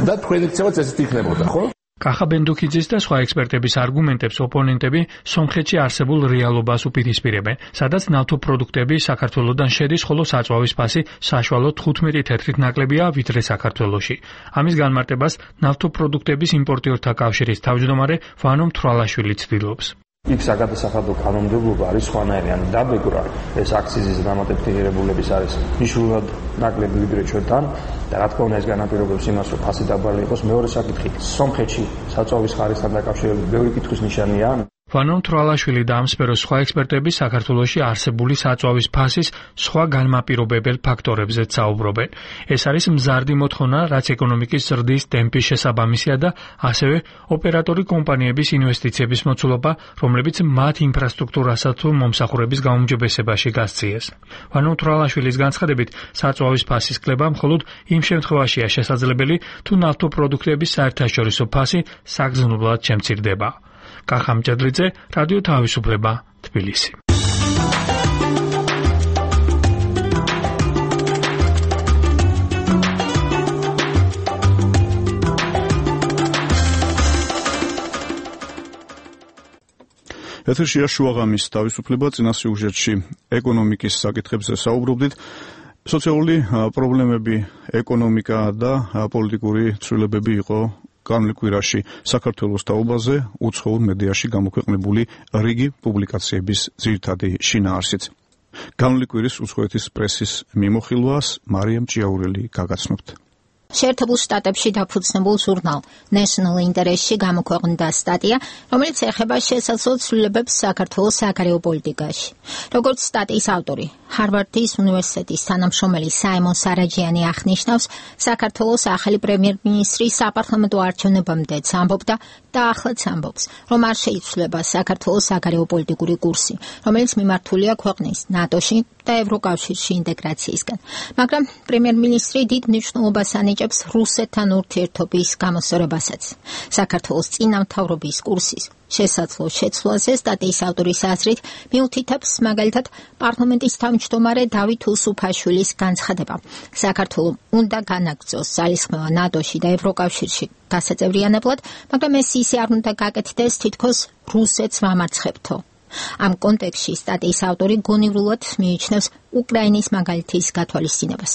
Speaker 5: და თქვენი ქცევაც ესეთ იქნებოდა, ხო?
Speaker 17: კახა ბენდუქიძის და სხვა ექსპერტების არგუმენტებს ოპონენტები სომხეთში არსებულ რეალობას უპირისპირებენ, სადაც ნავთობპროდუქტები საქართველოდან შედის, ხოლო საწვავის ფასი საშუალოდ თხუთმეტი თეთრით ნაკლებია ვიდრე საქართველოში. ამის განმარტებას ნავთობპროდუქტების იმპორტიორთა კავშირის თავმჯდომარე ვანო მთვრალაშვილი ცდილობს.
Speaker 23: იქ საგადასახადო კანონმდებლობა არის სხვანაირი, ანუ დაბეგრა ეს აქციზის დამატებითირებულების არის მნიშვნელოვნად ნაკლები ვიდრე ჩვენთან და რა თქმა უნდა ეს განაპირობებს იმას, რომ ფასი დაბალი იყოს. მეორე საკითხი, სომხეთში საწვავის ხარისხთან დაკავშირებით ბევრი კითხვის ნიშანია.
Speaker 17: ვანო მთვრალაშვილი და ამ სფეროს სხვა ექსპერტები საქართველოში არსებული საწვავის ფასის სხვა განმაპირობებელ ფაქტორებზეც საუბრობენ. ეს არის მზარდი მოთხოვნა, რაც ეკონომიკის ზრდის ტემპის შესაბამისია და ასევე ოპერატორი კომპანიების ინვესტიციების მოცულობა, რომლებიც მათ ინფრასტრუქტურასა თუ მომსახურების გაუმჯობესებაში გასწიეს. ვანო მთვრალაშვილის განცხადებით, საწვავის ფასის კლება მხოლოდ იმ შემთხვევაშია შესაძლებელი, თუ ნავთობპროდუქტების საერთაშორისო ფასი საგრძნობლად შემცირდება. კახა მჭედლიძე, რადიო თავისუფლება, თბილისი.
Speaker 1: ეთერშია შუაღამის თავისუფლება, წინა სიუჟეტში ეკონომიკის საკითხებზე საუბრობდით. სოციალური პრობლემები, ეკონომიკა და პოლიტიკური ცვლილებები იყო განვლილ კვირაში საქართველოს თაობაზე უცხოურ მედიაში გამოქვეყნებული რიგი პუბლიკაციების ძირითადი შინაარსიც. განვლილ კვირის უცხოეთის პრესის მიმოხილვას მარიამ ჭიაურელი გაგაცნობთ.
Speaker 6: შეერთებულ შტატებში დაფუძნებულ ჟურნალ National Interest-ში გამოქვეყნდა სტატია, რომელიც ეხება შესაძლო ცვლილებებს საქართველოს საგარეო პოლიტიკაში. როგორც სტატიის ავტორი, ჰარვარდის უნივერსიტეტის თანამშრომელი საიმონ სარაჯიანი აღნიშნავს, საქართველოს ახალი პრემიერ-მინისტრი საპარლამენტო არჩევნებამდეც ამბობდა და ახლაც ამბობს, რომ არ შეიცვლება საქართველოს საგარეო პოლიტიკური კურსი, რომელიც მიმართულია ქვეყნის ნატოში და ევროკავშირში ინტეგრაციისკენ. მაგრამ პრემიერ-მინისტრი დიდ მნიშვნელობას ანიჭებს რუსეთთან ურთიერთობის გამოსწორებასაც. საქართველოს წინამთავრობის კურსის შესაძლო შეცვლაზე სტატიის ავტორის აზრით მიუთითებს მაგალითად პარლამენტის თავმჯდომარე დავით უსუფაშვილის განცხადება. საქართველოს უნდა განაგრძოს ძალისხმევა ნატოში და ევროკავშირში გასაწევრიანებლად, მაგრამ ეს ისე არ უნდა გაკეთდეს, თითქოს რუსეთს ვამარცხებთო. ამ კონტექსტში სტატიის ავტორი გონივრულად მიიჩნევს უკრაინის მაგალითის გათვალისწინებას.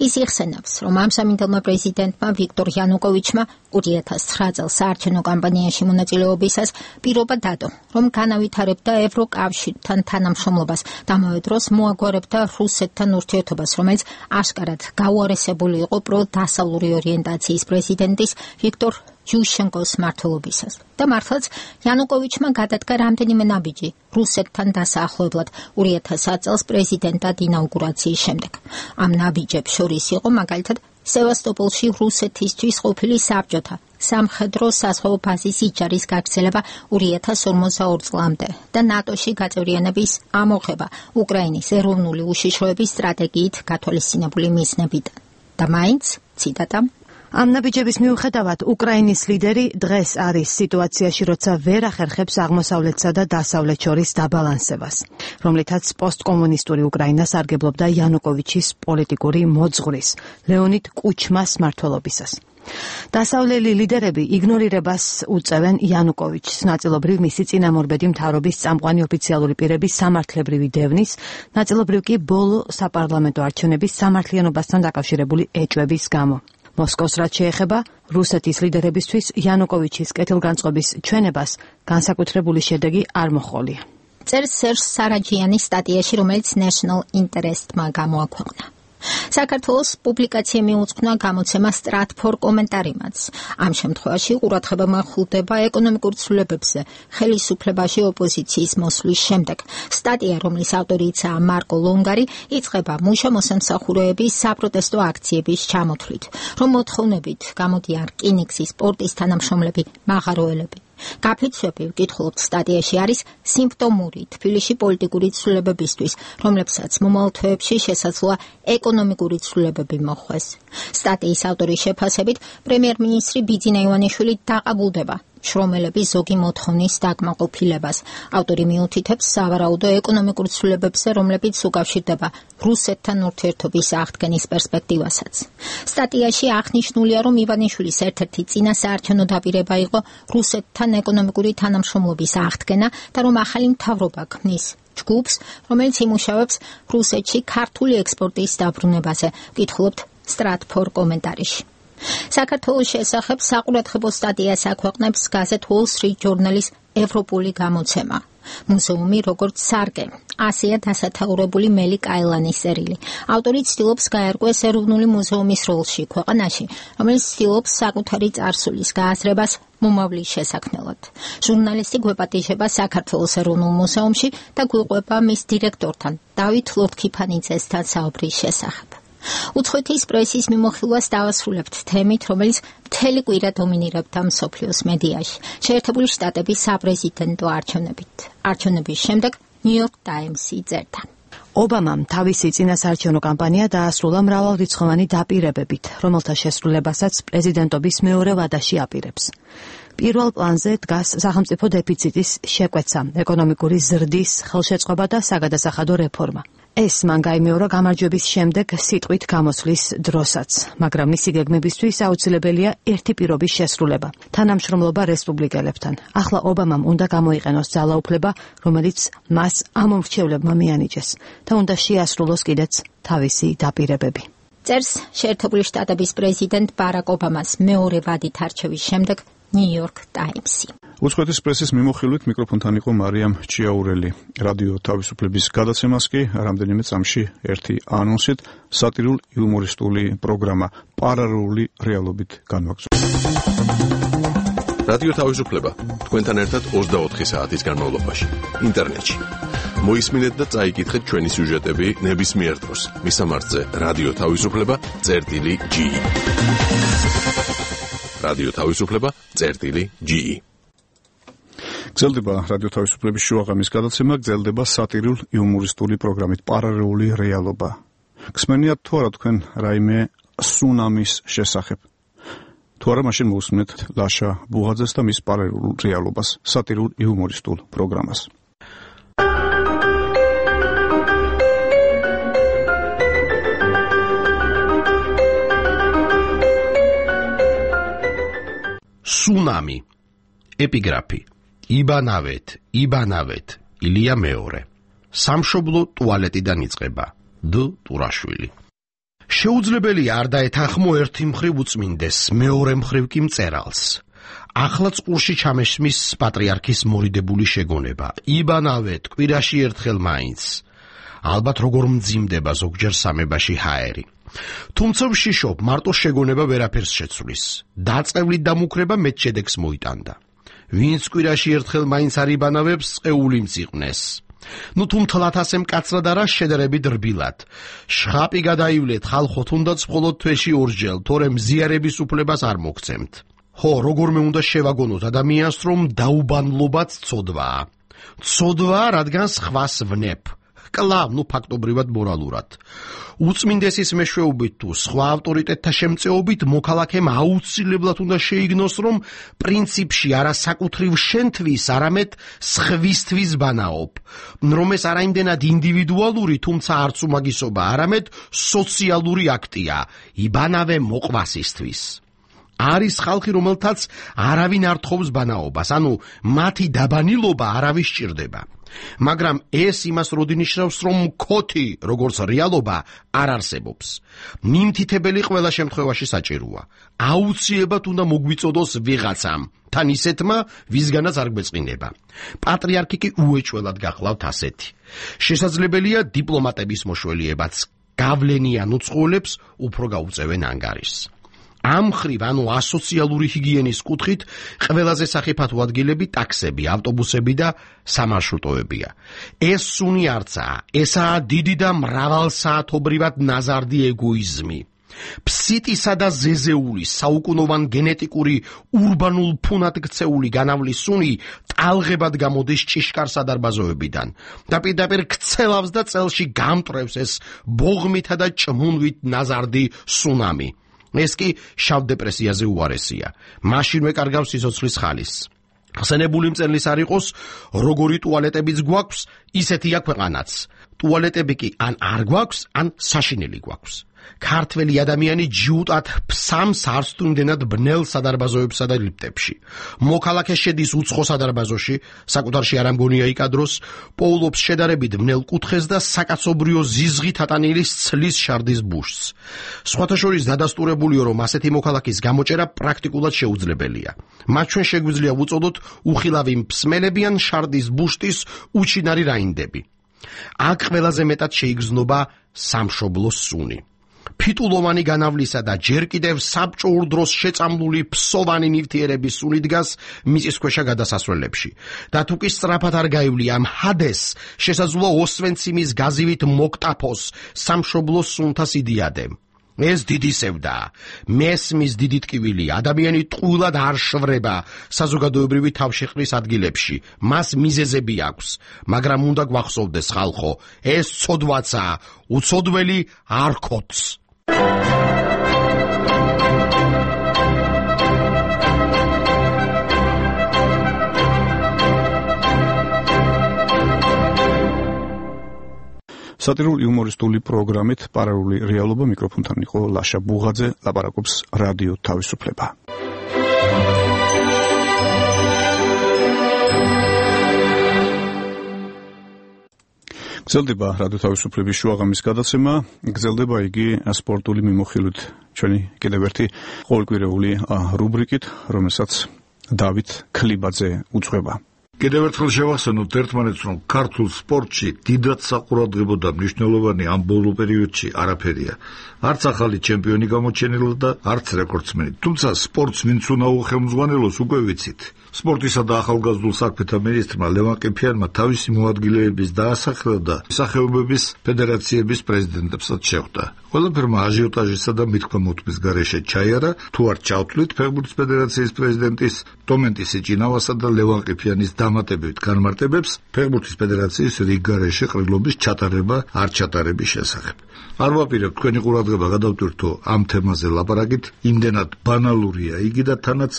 Speaker 6: ის იხსენებს, რომ ამ სამინდელმა პრეზიდენტმა ვიქტორ იანუკოვიჩმა ორი ათას ცხრა წელს საარჩევნო კამპანიაში მონაწილეობისას პირობა დადო, რომ განავითარებდა ევროკავშირთან თანამშრომლობას და ამავე დროს მოაგვარებდა რუსეთთან ურთიერთობას, რომელიც აშკარად გაუარესებული იყო პრო-დასავლური ორიენტაციის პრეზიდენტის ვიქტორ ჯუშენკოს მმართველობისას. და მართლაც იანუკოვიჩმა გადადგა რამდენიმე ნაბიჯი რუსეთთან დასაახლებლად ორი ათას ათ წელს პრეზიდენტად ინაუგურაციის შემდეგ. ამ ნაბიჯებს შორის იყო მაგალითად სევასტოპოლში რუსეთისთვის ყოფილი საბჭოთა სამხედრო საზღვაო ბაზის იჯარის გაგრძელება ორი ათას ორმოცდაორ წლამდე და ნატოში გაწევრიანების ამოღება უკრაინის ეროვნული უშიშროების სტრატეგიით გათვალისწინებული მიზნებიდან. და მაინც, ციტატა,
Speaker 3: ამ ნაბიჯების მიუხედავად უკრაინის ლიდერი დღეს არის სიტუაციაში, როცა ვერ ახერხებს აღმოსავლეთსა და დასავლეთ შორის დაბალანსებას, რომლითაც პოსტკომუნისტური უკრაინა სარგებლობდა იანუკოვიჩის პოლიტიკური მოძღვრის ლეონიდ კუჩმას მმართველობისას. დასავლელი ლიდერები იგნორირებას უწევენ იანუკოვიჩს, ნაწილობრივ მისი წინამორბედი მთავრობის წამყვანი ოფიციალური პირების სამართლებრივი დევნის, ნაწილობრივ კი ბოლო საპარლამენტო არჩევნების სამართლიანობასთან დაკავშირებული ეჭვების გამო. მოსკოვს რაც შეეხება, რუსეთის ლიდერებისთვის იანუკოვიჩის კეთილგანწყობის ჩვენებას განსაკუთრებული შედეგი არ მოჰყოლია.
Speaker 6: წერს სერჟ სარაჯიანის სტატიაში, რომელიც National Interest-მა გამოაქვეყნა. საქართველოს პუბლიკაცია მიუძღვნა გამოცემა Stratfor კომენტარიმაც. ამ შემთხვევაში ყურადღება მახულდება ეკონომიკურ ცვლილებებზე ხელისუფლებაში ოპოზიციის მოსვლის შემდეგ. სტატია, რომლის ავტორიცაა მარკო ლონგარი, იწყება მუშა მოსამსახურეების საპროტესტო აქციების ჩამოთვლით, რომ მოთხოვნებით გამოდიან რკინიგზის პორტის თანამშრომლები, მაღაროელები. გაფიცვები, ვკითხულობთ, სტატიაში არის სიმპტომური თბილისში პოლიტიკური ცვლილებებისთვის, რომლებსაც მომავალ თვეებში შესაძლოა ეკონომიკური ცვლილებები მოხვეს. სტატიის ავტორის შეფასებით, პრემიერ-მინისტრი ბიძინა ივანიშვილი დაყაბულდება შრომელების ზოგი მოთხოვნის დაკმაყოფილებას. ავტორი მიუთითებს სავარაუდო ეკონომიკურ ცვლილებებზე, რომლებიც უკავშირდება რუსეთთან ურთიერთობის აღდგენის პერსპექტივასაც. სტატიაში აღნიშნულია, რომ ივანიშვილის ერთ-ერთი წინა საარჩევნო დაპირება იყო რუსეთთან ეკონომიკური თანამშრომლობის აღდგენა და რომ ახალი მთავრობა ქმნის ჯგუფს, რომელიც იმუშავებს რუსეთში ქართული ექსპორტის დაბრუნებაზე. ვკითხულობთ Stratfor კომენტარში. საქართველოს შესახებ საყურადღებო სტატიას აქვეყნებს გაზეთ Wall Street Journal-ის ევროპული გამოცემა. მუზეუმი როგორც სარკე, ასეა დასათაურებული მელი კაილანის წერილი. ავტორი ცდილობს გაერკვეს ეროვნული მუზეუმის როლში ქვეყანაში, რომელიც ცდილობს საკუთარი წარსულის გააზრებას მომავლის შესაქმნელად. ჟურნალისტი გვეპატიჟება საქართველოს ეროვნულ მუზეუმში და გვიყვება მის დირექტორთან, დავით ლოთქიფანიძესთან საუბრის შესახებ. უცხოეთის პრესის მიმოხილვას დავასრულებთ თემით, რომელიც მთელი კვირა დომინირებდა მსოფლიოს მედიაში. შეერთებული შტატების საპრეზიდენტო არჩევნებით. არჩევნების შემდეგ New York Times-ი წერდა.
Speaker 3: ობამამ თავისი წინასაარჩევნო კამპანია დაასრულა მრავალრიცხოვანი დაპირებებით, რომელთა შესრულებასაც პრეზიდენტობის მეორე ვადაში აპირებს. პირველ პლანზე დგას სახელმწიფო დეფიციტის შეკვეცა, ეკონომიკური ზრდის ხელშეწყობა და საგადასახადო რეფორმა. ეს მან გაიმეორა გამარჯვების შემდეგ სიტყვით გამოსვლის დროსაც, მაგრამ მისი გეგმებისთვის აუცილებელია ერთი პირობის შესრულება, თანამშრომლობა რესპუბლიკელებთან. ახლა ობამამ უნდა გამოიყენოს ძალაუფლება, რომელიც მას ამ მომრჩევლებმა მიანიჭეს და უნდა შეასრულოს კიდეც თავისი დაპირებები.
Speaker 6: წერს შეერთებული შტატების პრეზიდენტ ბარაკ ობამას მეორე ვადით არჩევის შემდეგ New York Times-ი.
Speaker 1: უცხოეთის პრესის მიმოხილვით მიკროფონთან იყო მარიამ ჭიაურელი. რადიო თავისუფლების გადაცემას კი რამდენიმე წამში ერთი ანონსით სატირულ იუმორისტული პროგრამა პარალელური რეალობით განვაგრძობთ.
Speaker 8: რადიო თავისუფლება თქვენთან ერთად ოცდაოთხი საათის განმავლობაში ინტერნეტში. მოისმინეთ და წაიკითხეთ ჩვენი სიუჟეტები ნებისმიერ დროს. მისამართზე რადიო თავისუფლება წერტილი ჯი. რადიო თავისუფლება წერტილი ჯი.
Speaker 1: გრძელდება რადიო თავისუფლების შუაღამის გადაცემა, გრძელდება სატირულ იუმორისტული პროგრამით პარალელური რეალობა. გსმენიათ თუ არა თქვენ რაიმე სუნამის შესახებ? თუ არა, მაშინ მოусმინეთ ლაშა ბუღაძეს და მის პარალელურ რეალობას, სატირულ იუმორისტულ პროგრამას.
Speaker 9: სუნამი. ეპიგრაფი. იბანავეთ, იბანავეთ,
Speaker 7: ილია მეორე. სამშობლო ტუალეტიდან იწყება. დ ტურაშვილი. შეუძლებელია არ დაეთანხმო ერთი მხრივ უწმინდეს, მეორე მხრივ კი მწერალს. ახლა წყურში ჩამესმის პატრიარქის მორიდებული შეგონება. იბანავეთ კვირაში ერთხელ მაინც. ალბათ როგორ მძიმდება ზოგჯერ სამებაში ჰაერი. თუმცა ვშიშობ, მარტო შეგონება ვერაფერს შეცვლის. დაწევლით დამუქრება მეც შედეგს მოიტანდა. ვინც კვირაში ერთხელ მაინც არ იბანავებს, წეული მწიყვნეს. ნუ თუ მთლად ასე მკაცრად არა შედარებით რბილად. შხაპი გადაივლეთ ხალხო თუნდაც მხოლოდ თვეში ორჯერ, თორემ ზიარების უფლებას არ მოგცემთ. ხო, როგორმე უნდა შევაგონოთ ადამიანს, რომ დაუბანლობაც ცოდვაა. ცოდვაა, რადგან სხვას ვნებ. კლავ, ნუ ფაქტობრივად მორალურად. უწმინდესის მეშვეობით თუ სხვა ავტორიტეტთა შემწეობით მოქალაქემ აუცილებლად უნდა შეიგნოს, რომ პრინციპში არა საკუთრივ შენთვის, არამედ სხვისთვის ბანაობ, რომ ეს არა იმდენად ინდივიდუალური, თუმცა არც უმაგისობა, არამედ სოციალური აქტია, იბანავე მოყვასისთვის. არის ხალხი, რომელთაც არავინ არ თხოვს ბანაობას, ანუ მათი დაბანილობა არავის სჭირდება. მაგრამ ეს იმას როდი ნიშნავს, რომ მქოთი, როგორც რეალობა, არ არსებობს. მიმთითებელი ყველა შემთხვევაში საჭიროა. აუცილებლად უნდა მოგვიწოდოს ვიღაცამ, თან ისეთმა, ვისგანაც არ გვეწყინება. პატრიარქი კი უეჭველად გახლავთ ასეთი. შესაძლებელია დიპლომატების მოშველიებაც გავლენიან უცხოელებს უფრო გაუწევენ ანგარიშს. ამ მხრივ, ანუ ასოციალური ჰიგიენის კუთხით, ყველაზე სახიფათო ადგილები ტაქსები, ავტობუსები და სამარშრუტოებია. ეს სუნი არცაა, ესაა დიდი და მრავალსაათობრივად ნაზარდი ეგოიზმი. ფსიტისა და ზეზეულის საუკუნოვან გენეტიკური ურბანულ ფუნად ქცეული განავლის სუნი ტალღებად გამოდის ჭიშკარ სადარბაზოებიდან და პირდაპირ ქცელავს და წელში გამტრევს ეს ბოღმითა და ჭმუნვით ნაზარდი სუნამი. ეს კი შავ დეპრესიაზე უარესია. მაშინვე კარგავს სიცოცხლის ხალის. ხსენებული მწერლის არ იყოს, როგორი ტუალეტებიც გვაქვს, ისეთია ქვეყანაც. ტუალეტები კი ან არ გვაქვს, ან საშინელი გვაქვს. ქართველი ადამიანი ჯიუტად ფსამს არც თუ იმდენად ბნელ სადარბაზოებსა და ლიფტებში. მოქალაქე შედის უცხო სადარბაზოში, საკუთარში არ ამგონია იკადროს, პოულობს შედარებით ბნელ კუთხეს და საკაცობრიო ზიზღით ატანილი ცლის შარდის ბუშს. სხვათა შორის დადასტურებულიო, რომ ასეთი მოქალაქის გამოჭერა პრაქტიკულად შეუძლებელია. მათ ჩვენ შეგვიძლია ვუწოდოთ უხილავი მსმელები ან შარდის ბუშტის უჩინარი რაინდები. აქ ყველაზე მეტად შეიგრძნობა სამშობლო სუნი. ფიტულოვანი განავლისა და ჯერ კიდევ საბჭოურ დროს შეწამლული ფსოვანი ნივთიერების სუნი დგას მიწისქვეშა გადასასვლელებში. და თუ კი სწრაფად არ გაივლია ამ ჰადეს, შესაძლოა ოსვენციმის გაზივით მოკტაფოს სამშობლო სუნთა სიდიადე. ეს დიდი სევდაა. მესმის დიდი ტკივილი, ადამიანი ტყუილად არ შვრება საზოგადოებრივი თავშეყრის ადგილებში. მას მიზეზები აქვს, მაგრამ უნდა გვახსოვდეს ხალხო, ეს ცოდვაცაა, უცოდველი არ ქოც.
Speaker 1: სატირული იუმორისტული პროგრამით პარალელური რეალობა მიკროფონთან იყო ლაშა ბუღაძე, ლაპარაკობს რადიო თავისუფლება. გრძელდება რადიო თავისუფლების შუაღამის გადაცემა, გრძელდება იგი სპორტული მიმოხილვით ჩვენი კიდევ ერთი ყოველკვირეული რუბრიკით, რომელსაც დავით ქლიბაძე უძღვება.
Speaker 9: კიდევ ერთხელ შევახსენოთ ერთმანეთს, რომ ქართულ სპორტში დიდად საყურადღებო და მნიშვნელოვანი ამ ბოლო პერიოდში არაფერია. არც ახალი ჩემპიონი გამოჩენილა და არც რეკორდსმენი. თუმცა სპორტს ვინც უნდა უხელმძღვანელოს უკვე ვიცით. სპორტისა და ახალგაზრდულ საქმეთა მინისტრმა ლევან ყიფიანმა თავისი მოადგილეების დაასახელა და სახეობების ფედერაციების პრეზიდენტებსაც შეხვდა. ყველაფერმა აჟიოტაჟისა და მithქმამოთმის გარეშე ჩაიარა, თუ არ ჩავთვლით ფეხბურთის ფედერაციის პრეზიდენტის დომენტი სიჭინავასა და ლევან ყიფიანის დამატებით განმარტებებს ფეხბურთის ფედერაციის რიგ გარეშე ყრილობის ჩატარება არ ჩატარების შესახებ. არ ვაპირებ თქვენი ყურადღება გადავტვირთო ამ თემაზე ლაპარაკით, იმდენად ბანალურია იგი და თანაც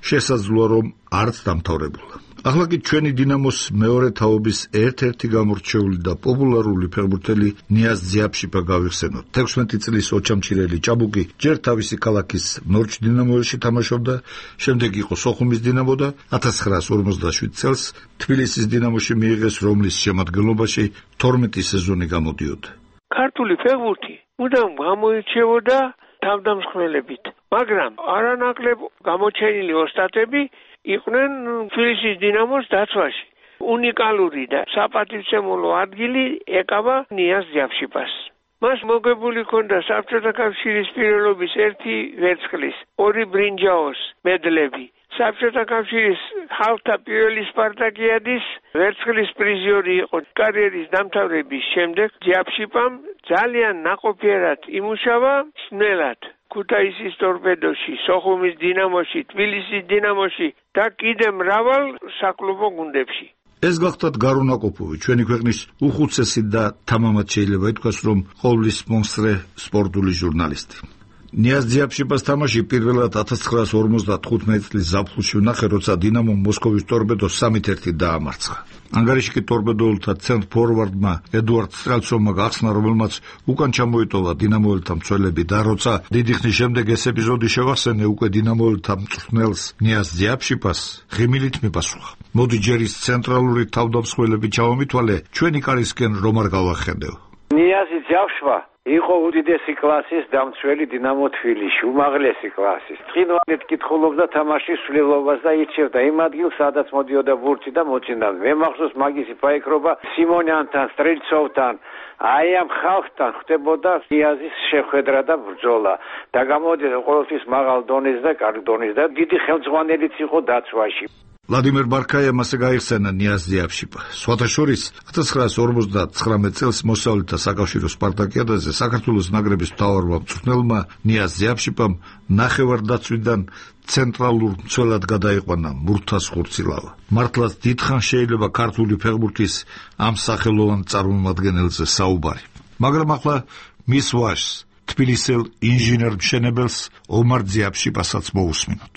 Speaker 9: შესაძლოა რომ არც დამთავრებულა. ახლა კი ჩვენი დინამოს მეორე თაობის ერთ-ერთი გამორჩეული და პოპულარული ფეხბურთელი ნიაზ ძიაფშიფა გავიხსენოთ. თექვსმეტი წლის ოჩამჩირელი ჭაბუკი ჯერ თავისი ქალაქის ნორჩ დინამოში თამაშობდა, შემდეგ იყო სოხუმის დინამო და ათას ცხრაას ორმოცდაშვიდ წელს თბილისის დინამოში მიიღეს, რომლის შემადგენლობაში თორმეტი სეზონი გამოდიოდა.
Speaker 11: ქართული ფეხბურთი მუდამ გამოირჩეოდა თავდამსხმელებით, მაგრამ არანაკლებ გამოჩენილი ოსტატები იყვნენ თბილისის დინამოს დაცვაში. უნიკალური და საპატივცემულო ადგილი ეკავა ნიაზ ძიაფშიფას. მას მოგებული ჰქონდა საბჭოთა კავშირის პირველობის ერთი ვერცხლის, ორი ბრინჯაოს მედლები. საბჭოთა კავშირის ხალხთა პირველი სპარტაკიადის ვერცხლის პრიზიორი იყო. კარიერის დამთავრების შემდეგ ძიაფშიფამ ძალიან ნაყოფიერად იმუშავა სნელად ქუთაისის ტორპედოში, სოხუმის დინამოში, თბილისის დინამოში და კიდევ მრავალ საკლუბო გუნდებში.
Speaker 9: ეს გახდათ გარუნაკოპოვი, ჩვენი ქვეყნის უხუცესი და თამამად შეიძლება ითქვას, რომ ყოვლის მონსტრე სპორტული ჟურნალისტი. ნიაზ ძიაფშიფას თამაში პირველად ათას ცხრაას ორმოცდათხუთმეტი წლის ზაფხულში ვნახე, როცა დინამომ მოსკოვის ტორპედოს სამით ერთი დაამარცხა. ანგარიში კი ტორპედოელთა ცენტრ ფორვარდმა ედუარდ სტრელცოვმა გახსნა, რომელმაც უკან ჩამოიტოვა დინამოელთა მცველები და როცა დიდი ხნის შემდეგ ეს ეპიზოდი შევახსენე უკვე დინამოელთა მწვრთნელს ნიაზ ძიაფშიფას, ღიმილით მიპასუხა. მოდი ჯერ ის ცენტრალური თავდამსხმელები ჩავამითვალე, ჩვენი კარისკენ რომ არ გავახედევ.
Speaker 12: ნიაზი ძიაფშიფა იყო უდიდესი კლასის დამცველი დინამო თბილისში, უმაღლესი კლასის. თხინვალით კითხულობდა თამაშის სვლელობას და ირჩევდა იმ ადგილს, სადაც მოდიოდა ბურთი და მოწინავდა. მე მახსოვს მაგისი ფაიქრობა სიმონიანთან, სტრელცოვთან, აი ამ ხალხთან ხდებოდა ნიაზის შეხვედრა და ბრძოლა და გამოდიოდა ყოველთვის მაღალ დონეზე და კარგ დონეზე და დიდი ხელმძღვანელიც იყო დაცვაში.
Speaker 9: ვლადიმერ ბარქაიამ ასე გაიხსენა ნიაზ ძიაფშიფა. სხვათა შორის ათას ცხრაას ორმოცდათხრამეტ წელს მოსავლეთა საკავშირო სპარტაკიადაზე საქართველოს ნაკრების მთავარმა მწვრთნელმა ნიაზ ძიაფშიფამ ნახევარდაცვიდან ცენტრალურ მცველად გადაიყვანა მურთას ხურცილავა. მართლაც დიდხანს შეიძლება ქართული ფეხბურთის ამ სახელოვან წარმომადგენელზე საუბარი. მაგრამ ახლა მის ვაჟს, თბილისელ ინჟინერ-მშენებელს ომარ ძიაფშიფასაც მოусმინოთ.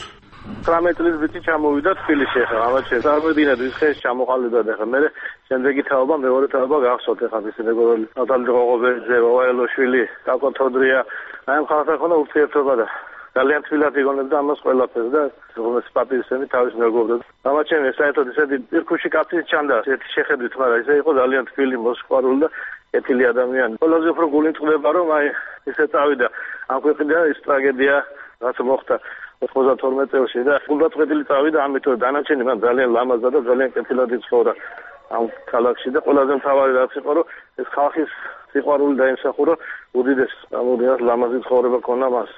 Speaker 11: ცხრამეტ წლის ბიჭი ჩამოვიდა თბილისში ახლა ამაჩე წარმოედინა ის ხეს ჩამოყალიბდა და ახლა მე შემდეგი თაობა მეორე თაობა გახსოვთ ახლა ის მეგობრული ნატალი ღოღობერძე, ვაელოშვილი, კაკოთოდრია, აი ამ ხალხთან ხონდა ურთიერთობა და ძალიან თბილად იგონებდა ამას ყველაფერს და როგორც პატივისცემი თავის მეგობრებს. ამაჩემი საერთოდ ისეთი პირქუში კაცის ჩანდა ერთი შეხედვით, მაგრამ ისე იყო ძალიან თბილი, მოსიყვარული და კეთილი ადამიანი. ყველაზე უფრო გული წყდება რომ აი ისე წავიდა ამ ქვეყნიდან ის ტრაგედია რაც მოხდა ოთხმოცდათორმეტ წელს და გულდაწყვეტილი წავიდა ამიტომ დანარჩენი მან ძალიან ლამაზდა და ძალიან კეთილად იცხოვრა ამ ქალაქში და ყველაზე მთავარი რაც იყო რომ ეს ხალხის სიყვარული დაიმსახურა უდიდეს ამოდიას ლამაზი ცხოვრება ქონა მას.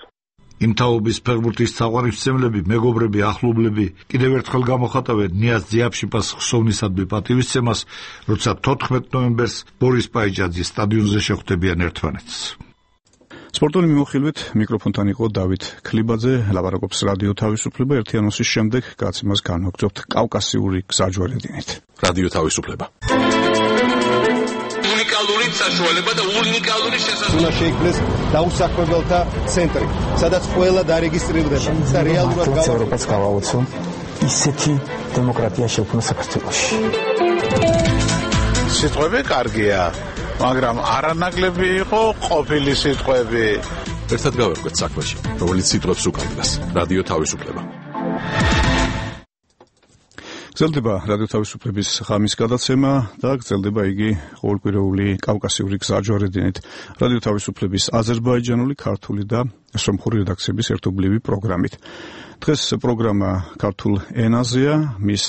Speaker 9: იმ თაობის ფეხბურთის თაყვანისმცემლები, მეგობრები, ახლობლები კიდევ ერთხელ გამოხატავენ ნიაზ ძიაფშიფას ხსოვნისადმი პატივისცემას, როცა თოთხმეტ ნოემბერს ბორის პაიჯაძის სტადიონზე შეხვდებიან ერთმანეთს.
Speaker 1: სპორტული მიმოხილვით მიკროფონთან იყო დავით ქლიბაძე, ლაპარაკობს რადიო თავისუფლება. ერთიანოსის შემდეგ გაცემას განვაგრძობთ კავკასიური გზაჯვარედინით.
Speaker 8: რადიო თავისუფლება.
Speaker 14: უნიკალური საშუალება და უნიკალური შესაძლებლობა.
Speaker 15: უნდა შეიქმნეს დაუსაქმებელთა ცენტრი, სადაც ყველა დარეგისტრირდება და რეალურად
Speaker 16: ევროპას გავაოცო ისეთი დემოკრატია შექმნა საქართველოში.
Speaker 24: სიტყვები კარგია, მაგრამ არანაკლები იყო ყოფილი სიტყვები.
Speaker 8: ერთად გავერკვეთ საქმეში, რომელიც სიტყვებს უკავშირდება. რადიო თავისუფლება.
Speaker 1: გრძელდება რადიო თავისუფლების ღამის გადაცემა და გრძელდება იგი ყოველკვირეული კავკასიური გზაჯვარედინით. რადიო თავისუფლების აზერბაიჯანული, ქართული და სომხური რედაქციების ერთობლივი პროგრამით. დღეს პროგრამა ქართულ ენაზეა, მის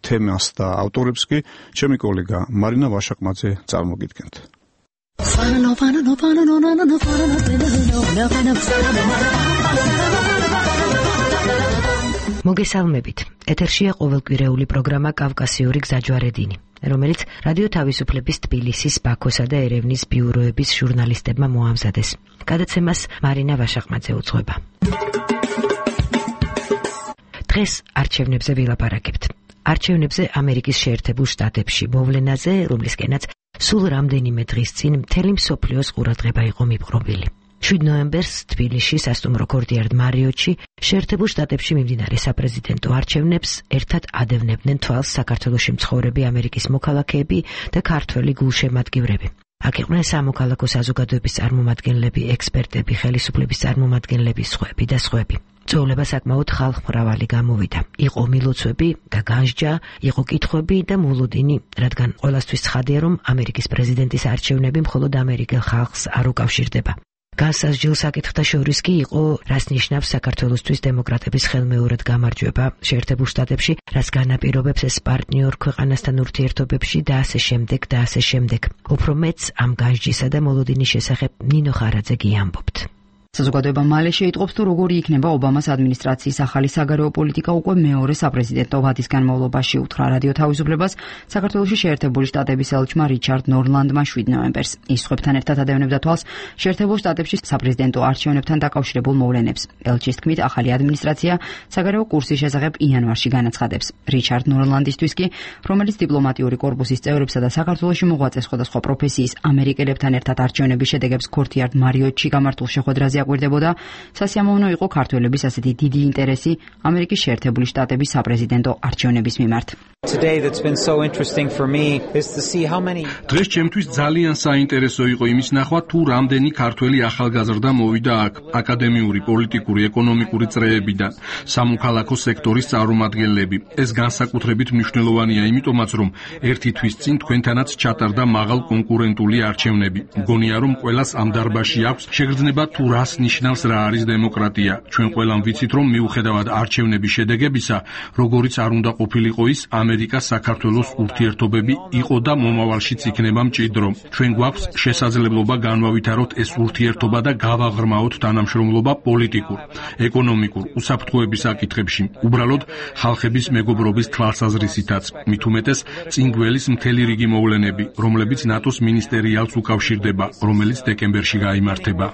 Speaker 1: თემას და ავტორებს კი ჩემი კოლეგა მარინა ვაშაკმაძე წარმოგიდგენთ.
Speaker 25: მოგესალმებით. ეთერშია ყოველკვირეული პროგრამა კავკასიური გზაჯვარედინი, რომელიც რადიო თავისუფლების თბილისის, ბაქოსა და ერევნის ბიუროების ჟურნალისტებმა მოამზადეს. გადაცემას მარინა ვაშაკმაძე უძღვება. დღეს არჩევნებზე ვილაპარაკებთ. არჩევნებზე ამერიკის შეერთებულ შტატებში მოვლენაზე, რომლისკენაც სულ რამდენიმე დღის წინ მთელი მსოფლიოს ყურადღება იყო მიპყრობილი. შვიდ ნოემბერს თბილისში სასტუმრო კორტიარ მარიოტში შეერთებულ შტატებში მიმდინარე საპრეზიდენტო არჩევნებს ერთად ადევნებდნენ თვალს საქართველოში მცხოვრები ამერიკის მოქალაქეები და ქართველი გულშემატკივრები. აქ იყვნენ სამოქალაქო საზოგადოების წარმომადგენლები, ექსპერტები, ხელისუფლების წარმომადგენლები, სხვები და სხვები. წოვლება საკმაოდ ხალხმრავალი გამოვიდა. იყო მილოცვები და განსჯა, იყო კითხვები და მოლოდინი, რადგან ყველასთვის ცხადია, რომ ამერიკის პრეზიდენტის არჩევნები მხოლოდ ამერიკელ ხალხს არ უკავშირდება. განსაზღვრულ საკითხთა შორის კი იყო, რას ნიშნავს საქართველოსთვის დემოკრატების ხელმეორედ გამარჯვება შეერთებულ შტატებში, რაც განაპირობებს ეს პარტნიორ ქვეყანასთან ურთიერთობებში და ასე შემდეგ და ასე შემდეგ. უფრო მეც ამ განსჯისა და მოლოდინის შესახებ ნინო ხარაძე ამბობთ.
Speaker 2: საზოგადოება მალე შეიტყობს, თუ როგორი იქნება ობამას ადმინისტრაციის ახალი საგარეო პოლიტიკა უკვე მეორე საპრეზიდენტო ვადის განმავლობაში, უთხრა რადიო თავისუფლებას საქართველოში შეერთებული შტატების ელჩმა რიჩარდ ნორლანდმა შვიდ ნოემბერს. ის სხვებთან ერთად ადევნებდა თვალს შეერთებულ შტატებში საპრეზიდენტო არჩევნებთან დაკავშირებულ მოვლენებს. ელჩის თქმით, ახალი ადმინისტრაცია საგარეო კურსის შესახებ იანვარში განაცხადებს. რიჩარდ ნორლანდისთვის კი, რომელიც დიპლომატიური კორპუსის წევრებსა და საქართველოში მოღვაწე სხვადასხვა პროფესიის ამერიკელებთან ერთად არჩევნების შედეგებს კორტიარ მარიოტში გამართულ შეხვედრაზე აკვირდებოდა, სასიამოვნო იყო ქართველების ასეთი დიდი ინტერესი ამერიკის შეერთებული შტატების საპრეზიდენტო არჩევნების მიმართ.
Speaker 4: დღეს ჩემთვის ძალიან საინტერესო იყო იმის ნახვა, თუ რამდენი ქართველი ახალგაზრდა მოვიდა აქ აკადემიური, პოლიტიკური, ეკონომიკური წრეებიდან, სამოქალაქო სექტორის წარმომადგენლები. ეს განსაკუთრებით მნიშვნელოვანია იმიტომაც, რომ ერთი თვის წინ თქვენთანაც ჩატარდა მაღალ კონკურენტული არჩევნები. მგონია, რომ ყველას ამ დარბაზში აქვს შეგრძნება თუ რას ნიშნავს რა არის დემოკრატია. ჩვენ ყველამ ვიცით, რომ მიუხედავად არჩევნების შედეგებისა, როგორიც არ უნდა ყოფილიყო ის, ამერიკა-საქართველოს ურთიერთობები იყო და მომავალშიც იქნება მჭიდრო. ჩვენ გვაქვს შესაძლებლობა განვავითაროთ ეს ურთიერთობა და გავაღრმაოთ თანამშრომლობა პოლიტიკურ, ეკონომიკურ, უსაფრთხოების საკითხებში, უბრალოდ ხალხების მეგობრობის თვალსაზრისითაც. მით უმეტეს წინ გველის მთელი რიგი მოვლენები, რომლებიც ნატოს მინისტერიალს უკავშირდება, რომელიც დეკემბერში გაიმართება.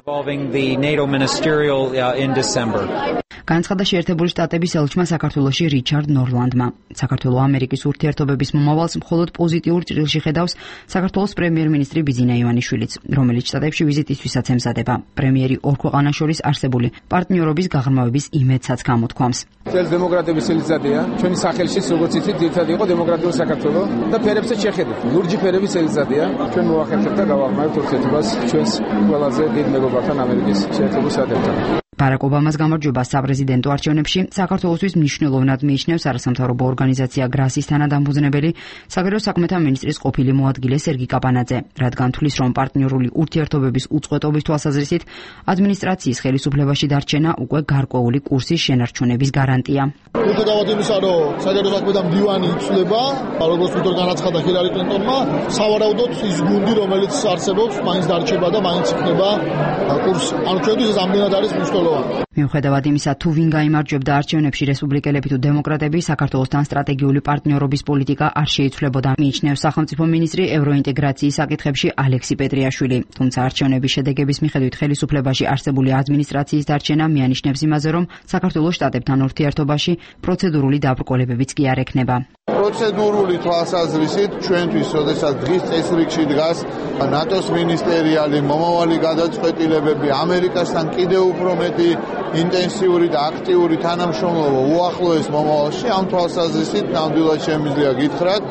Speaker 2: განაცხადა შეერთებული შტატების ელჩმა საქართველოში რიჩარდ ნორლანდმა. საქართველო-ამერიკის ურთიერთობების მომავალს მხოლოდ პოზიტიურ ჭრილში ხედავს საქართველოს პრემიერ-მინისტრი ბიძინა ივანიშვილიც, რომელიც შტატებში ვიზიტისთვისაც ემზადება. პრემიერი ორ ქვეყანას შორის არსებული პარტნიორობის გაღრმავების იმედსაც გამოთქვამს.
Speaker 21: წელს დემოკრატების წელიწადია. ჩვენი სახელშიც როგორც იცით, ერთად იყო დემოკრატიული საქართველო და ფერებსაც შეხედეთ. ლურჯი ფერების წელიწადია. ჩვენ მოახერხებთ და გავაღრმავებთ ურთიერთობას ჩვენს ყველაზე დიდ მეგობრებთან ამერიკის შეერთებულ შტატებთან.
Speaker 2: ბარაკ ობამას გამარჯვება საპრეზიდენტო არჩევნებში საქართველოსთვის მნიშვნელოვნად მიიჩნევს არასამთავრობო ორგანიზაცია გრასის თანადამფუძნებელი, საგარეო საქმეთა მინისტრის ყოფილი მოადგილე სერგი კაპანაძე, რადგან თვლის, რომ პარტნიორული ურთიერთობების უწყვეტობის თვალსაზრისით ადმინისტრაციის ხელისუფლებაში დარჩენა უკვე გარკვეული კურსის შენარჩუნების გარანტია.
Speaker 10: მიუხედავად იმისა, რომ საგარეო საქმეთა მდივანი იცვლება, როგორც თვითონ განაცხადა ჰილარი კლინტონმა, სავარაუდოდ ის გუნდი, რომელიც არსებობს, მაინც დარჩება და მაინც იქნება კურსი. ანუ ჩვენთვის ეს ამდენად არის მნიშვნელოვანი.
Speaker 2: მიუხედავად იმისა, თუ ვინ გაიმარჯვებდა არჩევნებში, რესპუბლიკელები თუ დემოკრატები, საქართველოსთან სტრატეგიული პარტნიორობის პოლიტიკა არ შეიცვლებოდა, მიიჩნევს სახელმწიფო მინისტრი ევროინტეგრაციის საკითხებში ალექსი პეტრიაშვილი. თუმცა არჩევნების შედეგების მიხედვით ხელისუფლებაში არსებული ადმინისტრაციის დარჩენა მიანიშნებს იმაზე, რომ საქართველოს შტატებთან ურთიერთობაში პროცედურული დაბრკოლებებიც კი არ ექნება.
Speaker 10: პროცედურული თვალსაზრისით ჩვენთვის, როდესაც დღის წესრიგში დგას ნატოს მინისტერიალი, მომავალი გადაწყვეტილებები, ამერიკასთან კიდევ უფრო მეტი ინტენსიური და აქტიური თანამშრომლობა უახლოეს მომავალში, ამ თვალსაზრისით ნამდვილად შემიძლია გითხრათ,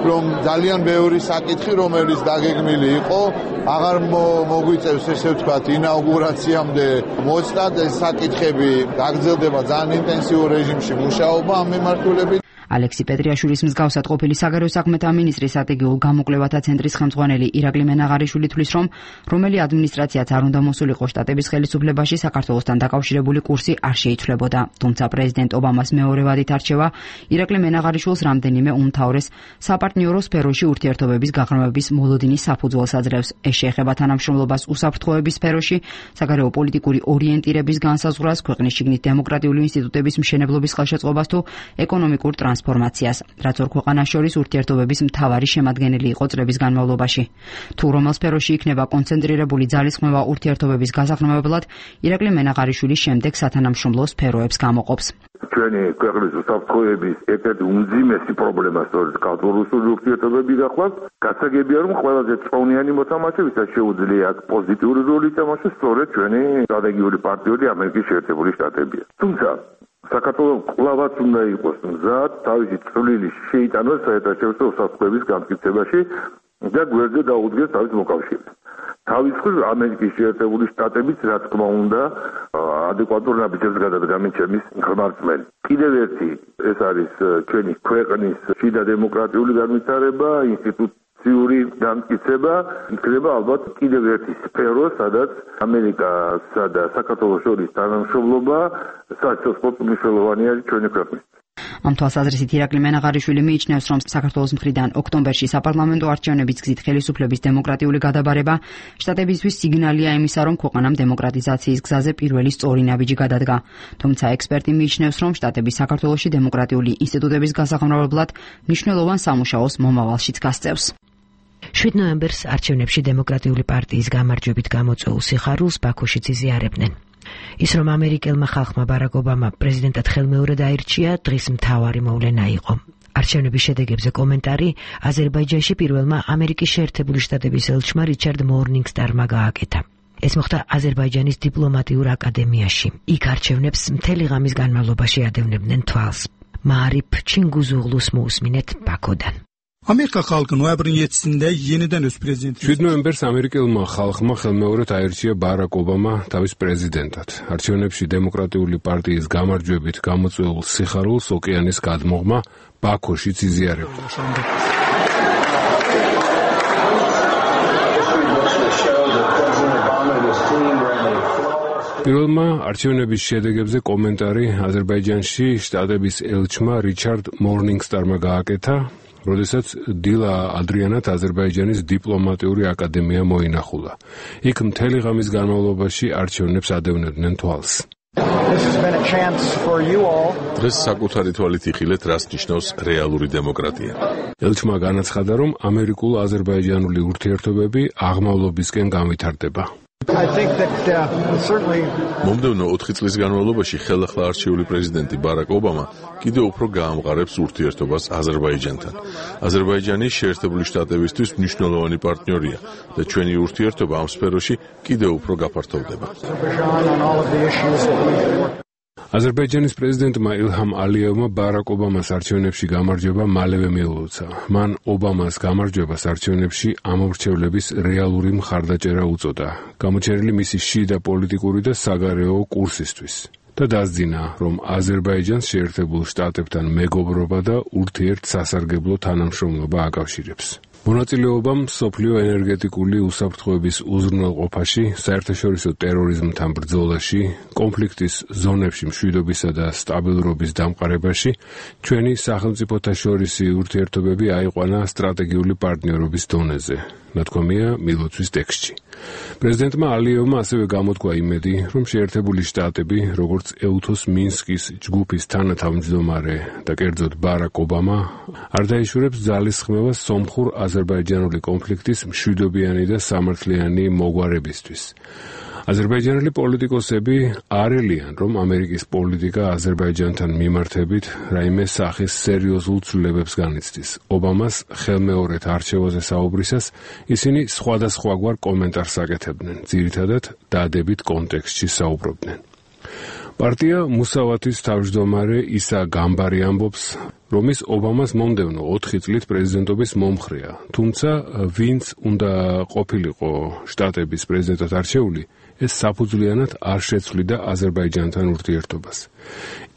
Speaker 10: რომ ძალიან ბევრი საკითხი, რომელიც დაგეგმილი იყო, აღარ მოგვიწევს ესე ვთქვათ ინაუგურაციამდე მოწდათ. ეს საკითხები გაგრძელდება ძალიან ინტენსიურ რეჟიმში მუშაობა ამ მიმართულებით.
Speaker 2: ალექსი პეტრიაშვილის მსგავსად ყოფილი საგარეო საქმეთა მინისტრის სტრატეგიულ გამოკვლევათა ცენტრის ხელმძღვანელი ირაკლი მენაღარიშვილი თვლის, რომ რომელი ადმინისტრაციაც არ უნდა მოსულიყო შტატების ხელისუფლებაში, საქართველოსთან დაკავშირებული კურსი არ შეიცვლებოდა. თუმცა პრეზიდენტ ობამას მეორე ვადით არჩევა ირაკლი მენაღარიშვილს რამდენიმე უმთავრეს საპარტნიორო სფეროში ურთიერთობების გაღრმავების მოლოდინის საფუძველს აძლევს. ეს შეეხება თანამშრომლობას უსაფრთხოების სფეროში, საგარეო პოლიტიკური ორიენტირების განსაზღვრას, ქვეყნის შიგნით დემოკრატიული ინსტიტუტების მშენებლობის ხელშეწყობას თუ ეკონომიკურ ტრანსფორმაციას. ტრანსფორმაციას, რაც ორ ქვეყანას შორის ურთიერთობების მთავარი შემადგენელი იყო წლების განმავლობაში. თუ რომელ სფეროში იქნება კონცენტრირებული ძალისხმევა ურთიერთობების გასაყრმავებლად, ირაკლი მენაღარიშვილი შემდეგ სათანამშრომლო სფეროებს გამოყოფს.
Speaker 13: ჩვენი ქვეყნის უსაფრთხოების ერთ-ერთი უმძიმესი პრობლემა სწორედ კავშირი ურთიერთობები გახლავთ. გასაგებია, რომ ყველაზე წონიანი მოთამაშე, ვისაც შეუძლია პოზიტიური როლი ითამაშოს, სწორედ ჩვენი სტრატეგიული პარტნიორი ამერიკის შეერთებული შტატებია. თუმცა საქართველოს კლავაც უნდა იყოს მზად თავისი წვლილი შეიტანოს საერთაშორისო უსაფრთხოების განმტკიცებაში და გვერდზე დაუდგეს თავის მოკავშირეს. თავის მხრივ ამერიკის შეერთებული შტატებიც რა თქმა უნდა ადეკვატურ ნაბიჯებს გადადგამის ხმარწმენი. კიდევ ერთი ეს არის ჩვენი ქვეყნის შიდა დემოკრატიული განვითარება, ინსტიტუციური განმტკიცება, იქნება ალბათ კიდევ ერთი სფერო, სადაც ამერიკასა და საქართველოს შორის თანამშრომლობა საერთოდ მნიშვნელოვანი არის ჩვენი ქვეყნის.
Speaker 2: ამ თვალსაზრისით ირაკლი მენაღარიშვილი მიიჩნევს, რომ საქართველოს მხრიდან ოქტომბერში საპარლამენტო არჩევნების გზით ხელისუფლების დემოკრატიული გადაბარება შტატებისთვის სიგნალია იმისა, რომ ქვეყანამ დემოკრატიზაციის გზაზე პირველი სწორი ნაბიჯი გადადგა. თუმცა ექსპერტი მიიჩნევს, რომ შტატები საქართველოში დემოკრატიული ინსტიტუტების გასაყრმავებლად მნიშვნელოვან სამუშაოს მომავალშიც გასწევს.
Speaker 25: შვიდ ნოემბერს არჩევნებში დემოკრატიული პარტიის გამარჯვებით გამოწვეულ სიხარულს ბაქოშიც იზიარებდნენ. ის რომ ამერიკელმა ხალხმა ბარაკ ობამა პრეზიდენტად ხელმეორედ აირჩია, დღის მთავარი მოვლენა იყო. არჩევნების შედეგებზე კომენტარი აზერბაიჯანში პირველმა ამერიკის შეერთებული შტატების ელჩმა რიჩარდ მორნინგსტარმა გააკეთა. ეს მოხდა აზერბაიჯანის დიპლომატიურ აკადემიაში. იქ არჩევნებს მთელი ღამის განმავლობაში ადევნებდნენ თვალს. მაარიფ ჩინგუზუღლუს მოусმინეთ ბაქოდან.
Speaker 18: Amerika xalqı noyabrın yedisində yenidən öz prezidenti.
Speaker 19: შვიდ ნოემბერს ამერიკელმა ხალხმა ხელმეორედ აირჩია ბარაკ ობამა თავის პრეზიდენტად. არჩევნებში დემოკრატიული პარტიის გამარჯვებით გამოწვეულ სიხარულს ოკეანის გადმოღმა ბაქოშიც იზიარებდა. პირველმა არჩევნების შედეგებზე კომენტარი აზერბაიჯანში შტატების ელჩმა რიჩარდ მორნინგსტარმა გააკეთა, როდესაც დილა ადრიანად აზერბაიჯანის დიპლომატიური აკადემია მოინახულა. იქ მთელი ღამის განმავლობაში არჩევნებს ადევნებდნენ თვალს.
Speaker 8: დღეს საკუთარი თვალით იხილეთ, რას ნიშნავს რეალური დემოკრატია.
Speaker 19: ელჩმა განაცხადა, რომ ამერიკულ-აზერბაიჯანული ურთიერთობები აღმავლობისკენ განვითარდება.
Speaker 8: მომდევნო ოთხი წლის განმავლობაში ხელახლა არჩეული პრეზიდენტი ბარაკ ობამა კიდევ უფრო გაამყარებს ურთიერთობას აზერბაიჯანთან. აზერბაიჯანი შეერთებული შტატებისთვის მნიშვნელოვანი პარტნიორია და ჩვენი ურთიერთობა ამ სფეროში კიდევ უფრო გაფართოვდება.
Speaker 19: აზერბაიჯანის პრეზიდენტმა ილჰამ ალიევმა ბარაკ ობამას არჩევნებში გამარჯვება მალევე მიულოცა. მან ობამას გამარჯვებას არჩევნებში ამორჩევლების რეალური მხარდაჭერა უწოდა, გამოჩენილი მისი შიდა პოლიტიკური და საგარეო კურსისთვის და დასძინა, რომ აზერბაიჯანს შეერთებულ შტატებთან მეგობრობა და ურთიერთსასარგებლო თანამშრომლობა აკავშირებს. მონაწილეობამ მსოფლიო ენერგეტიკული უსაფრთხოების უზრუნველყოფაში, საერთაშორისო ტერორიზმთან ბრძოლაში, კონფლიქტის ზონებში მშვიდობისა და სტაბილურობის დამყარებაში ჩვენი სახელმწიფოთა შორისი ურთიერთობები აიყვანა სტრატეგიული პარტნიორობის დონეზე, ნათქვამია მილოცვის ტექსტში. პრეზიდენტმა ალიევმა ასევე გამოთქვა იმედი, რომ შეერთებული შტატები, როგორც ეუთოს მინსკის ჯგუფის თანათავმჯდომარე და კერძოდ ბარაკ ობამა, არ დაიშურებს ძალისხმევას სომხურ აზერბაიჯანული კონფლიქტის მშვიდობიანი და სამართლიანი მოგვარებისთვის. აზერბაიჯანელი პოლიტიკოსები არ ელიან, რომ ამერიკის პოლიტიკა აზერბაიჯანთან მიმართებით რაიმე სახის სერიოზულ ცვლილებებს განიცდის. ობამას ხელმეორედ არჩევაზე საუბრისას ისინი სხვადასხვაგვარ კომენტარს აკეთებდნენ, ძირითადად დადებით კონტექსტში საუბრობდნენ. პარტია მუსავათის თავმჯდომარე ისა გამბარი ამბობს, რომ ის ობამას მომდევნო ოთხი წლით პრეზიდენტობის მომხრეა, თუმცა ვინც უნდა ყოფილიყო შტატების პრეზიდენტად არჩეული, ეს საფუძვლიანად არ შეცვლიდა აზერბაიჯანთან ურთიერთობას.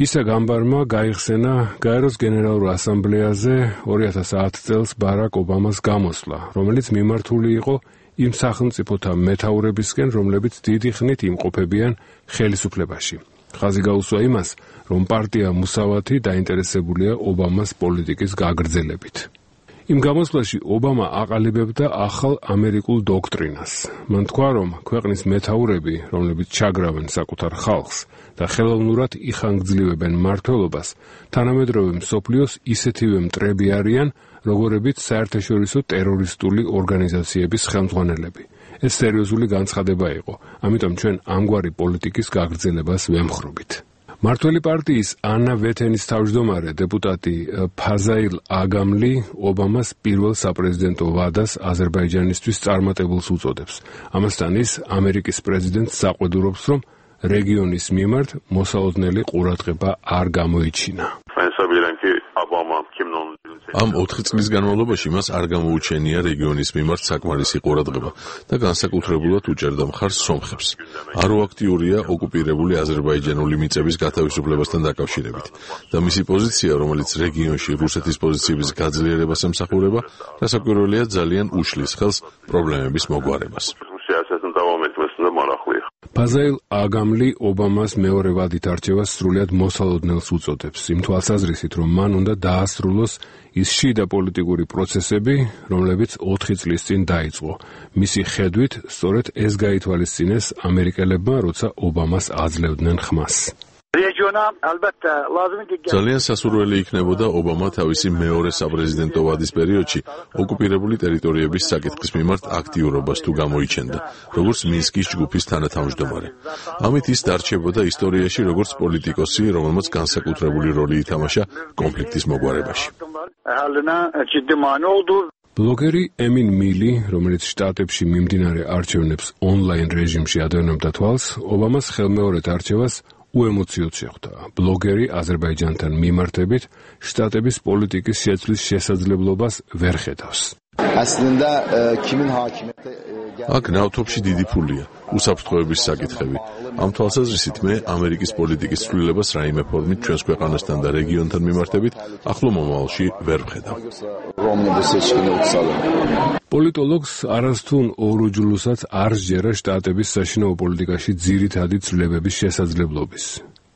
Speaker 19: ისა გამბარმა გაიხსენა გაეროს გენერალურ ასამბლეაზე ორი ათას ათი წელს ბარაკ ობამას გამოსვლა, რომელიც მიმართული იყო იმ სახელმწიფოთა მეთაურებისკენ, რომლებიც დიდი ხნით იმყოფებიან ხელისუფლებაში. ხაზი გაუსვა იმას, რომ პარტია მუსავათი დაინტერესებულია ობამას პოლიტიკის გაგრძელებით. იმ გამოსვლაში ობამა აყალიბებდა ახალ ამერიკულ დოქტრინას. მან თქვა, რომ ქვეყნის მეთაურები, რომლებიც ჩაგრავენ საკუთარ ხალხს და ხელოვნურად იხანგრძლივებენ მმართველობას, თანამედროვე მსოფლიოს ისეთივე მტრები არიან, როგორებიც საერთაშორისო ტერორისტული ორგანიზაციების ხელმძღვანელები. ეს სერიოზული განცხადება იყო, ამიტომ ჩვენ ამგვარი პოლიტიკის გაგრძელებას ვემხრობთ. მართველი პარტიის ანა ვეთენის თავმჯდომარე დეპუტატი ფაზაილ აგამლი ობამას პირველ საპრეზიდენტო ვადას აზერბაიჯანისთვის წარმატებულს უწოდებს. ამასთან ის ამერიკის პრეზიდენტს საყვედურობს, რომ რეგიონის მიმართ მოსალოდნელი ყურადღება არ გამოიჩინა.
Speaker 8: ამ ოთხი წლის განმავლობაში მას არ გამოუჩენია რეგიონის მიმართ საკმარისი ყურადღება და განსაკუთრებულად უჭერდა მხარს სომხებს. აროაქტიურია ოკუპირებული აზერბაიჯანული მიწების გათავისუფლებასთან დაკავშირებით და მისი პოზიცია, რომელიც რეგიონში რუსეთის პოზიციების გაძლიერებას ემსახურება, რასაკვირველია ძალიან უშლის ხელს პრობლემების მოგვარებას.
Speaker 19: ფაზაილ აგამლი ობამას მეორე ვადით არჩევას სრულიად მოსალოდნელს უწოდებს, იმ თვალსაზრისით, რომ მან უნდა დაასრულოს ის შიდა პოლიტიკური პროცესები, რომლებიც ოთხი წლის წინ დაიწყო. მისი ხედვით, სწორედ ეს გაითვალისწინეს ამერიკელებმა, როცა ობამას აძლევდნენ ხმას.
Speaker 8: ძალიან სასურველი იქნებოდა ობამა თავისი მეორე საპრეზიდენტო ვადის პერიოდში ოკუპირებული ტერიტორიების საკითხის მიმართ აქტიურობას თუ გამოიჩენდა, როგორც მინსკის ჯგუფის თანათავმჯდომარე. ამით ის დარჩებოდა ისტორიაში როგორც პოლიტიკოსი, რომელმაც განსაკუთრებული როლი ითამაშა კონფლიქტის მოგვარებაში.
Speaker 19: ბლოგერი ემინ მილი, რომელიც შტატებში მიმდინარე არჩევნებს ონლაინ რეჟიმში ადევნებდა თვალს, ობამას ხელმეორედ არჩევას უემოციოდ შეხვდა. ბლოგერი აზერბაიჯანთან მიმართებით შტატების პოლიტიკის შეცვლის შესაძლებლობას ვერ ხედავს.
Speaker 8: აქ ნავთობში დიდი ფულია, უსაფრთხოების საკითხები. ამ თვალსაზრისით მე ამერიკის პოლიტიკის ცვლილებას რაიმე ფორმით ჩვენს ქვეყანასთან და რეგიონთან მიმართებით ახლო მომავალში ვერ ვხედავ.
Speaker 19: პოლიტოლოგს არასთუ ორუჯლუსაც არ სჯერა შტატების საშინაო პოლიტიკაში ძირითადი ცვლილებების შესაძლებლობის.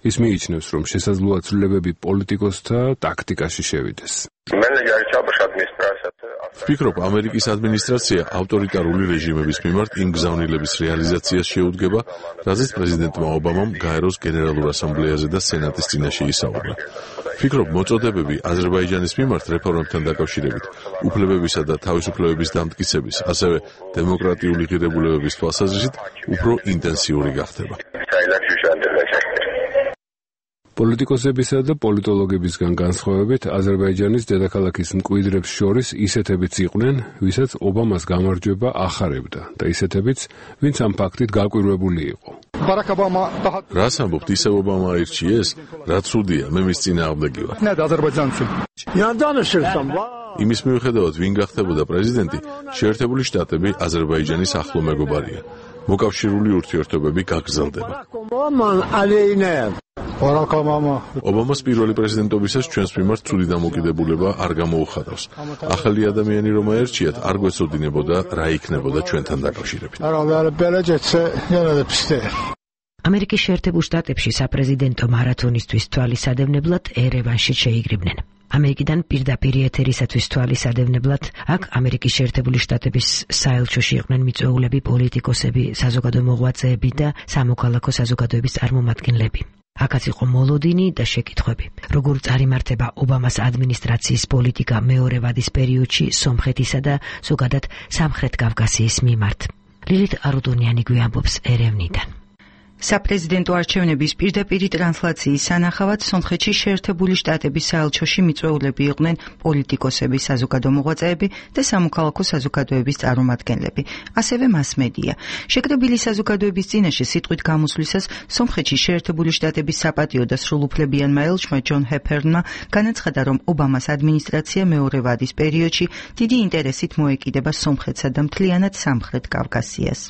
Speaker 19: ის მიიჩნევს, რომ შესაძლოა ცვლილებები პოლიტიკოსთა ტაქტიკაში შევიდეს.
Speaker 8: ვფიქრობ, ამერიკის ადმინისტრაცია ავტორიტარული რეჟიმების მიმართ იმ გზავნილების რეალიზაციას შეუდგება, რაზეც პრეზიდენტმა ობამამ გაეროს გენერალურ ასამბლეაზე და სენატის წინაშე ისაუბრა. ვფიქრობ, მოწოდებები აზერბაიჯანის მიმართ რეფორმებთან დაკავშირებით, უფლებებისა და თავისუფლებების დამტკიცების, ასევე დემოკრატიული ღირებულებების თვალსაზრისით უფრო ინტენსიური გახდება.
Speaker 19: პოლიტიკოსებისა და პოლიტოლოგებისგან განსხვავებით, აზერბაიჯანის დედაქალაქის მკვიდრებს შორის ისეთებიც იყვნენ, ვისაც ობამას გამარჯვება ახარებდა და ისეთებიც, ვინც ამ ფაქტით გაკვირვებული იყო.
Speaker 8: რას ამბობთ, ისევ ობამა აირჩიეს? რა ცუდია, მე მის წინააღმდეგი ვარ. იმის მიუხედავად, ვინ გახდებოდა პრეზიდენტი, შეერთებული შტატები აზერბაიჯანის ახლო მეგობარია. მოკავშირული ურთიერთობები გაგრძელდება. ობამას პირველი პრეზიდენტობისას ჩვენს მიმართ ცუდი დამოკიდებულება არ გამოუხატავს. ახალი ადამიანი რომ აერჩიათ, არ გვეცოდინებოდა რა იქნებოდა ჩვენთან დაკავშირებით.
Speaker 25: ამერიკის შეერთებულ შტატებში საპრეზიდენტო მარათონისთვის თვალისადევნებლად ერევანში შეიგრიბნენ. ამერიკიდან პირდაპირ ეთერისათვის თვალისადევნებლად აქ ამერიკის შეერთებული შტატების საელჩოში იყვნენ მიწვეულები, პოლიტიკოსები, საზოგადო მოღვაწეები და სამოქალაქო საზოგადოების წარმომადგენლები. აქაც იყო მოლოდინი და შეკითხვები. როგორ წარიმართება ობამას ადმინისტრაციის პოლიტიკა მეორე ვადის პერიოდში სომხეთისა და ზოგადად სამხრეთ კავკასიის მიმართ. ლილით არუდონიანი გვიამბობს ერევნიდან.
Speaker 5: საპრეზიდენტო არჩევნების პირდაპირი ტრანსლაციის სანახავად სომხეთში შეერთებული შტატების საელჩოში მიწვეულები იყვნენ პოლიტიკოსები, საზოგადო მოღვაწეები და სამოქალაქო საზოგადოების წარმომადგენლები, ასევე მასმედია. შეკრებილი საზოგადოების წინაშე სიტყვით გამოსვლისას სომხეთში შეერთებული შტატების საპატიო და სრულუფლებიანმა ელჩმა ჯონ ჰეფერნმა განაცხადა, რომ ობამას ადმინისტრაცია მეორე ვადის პერიოდში დიდი ინტერესით მოეკიდება სომხეთსა და მთლიანად სამხრეთ კავკასიას.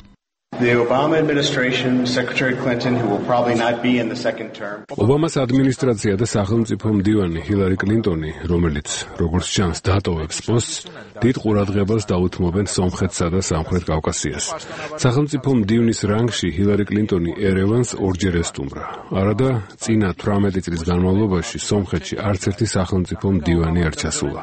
Speaker 3: The Obama administration, Secretary Clinton, who will probably not be in the second term.
Speaker 19: ობამას ადმინისტრაცია და სახელმწიფო მდივანი ჰილარი კლინტონი, რომელიც როგორც ჩანს დატოვებს პოსტს, დიდ ყურადღებას დაუთმობენ სომხეთსა და სამხრეთ კავკასიას. სახელმწიფო მდივნის რანგში ჰილარი კლინტონი ერევანს ორჯერ ესტუმრა. არადა წინა თვრამეტი წლის განმავლობაში სომხეთში არც ერთი სახელმწიფო მდივანი არ ჩასულა.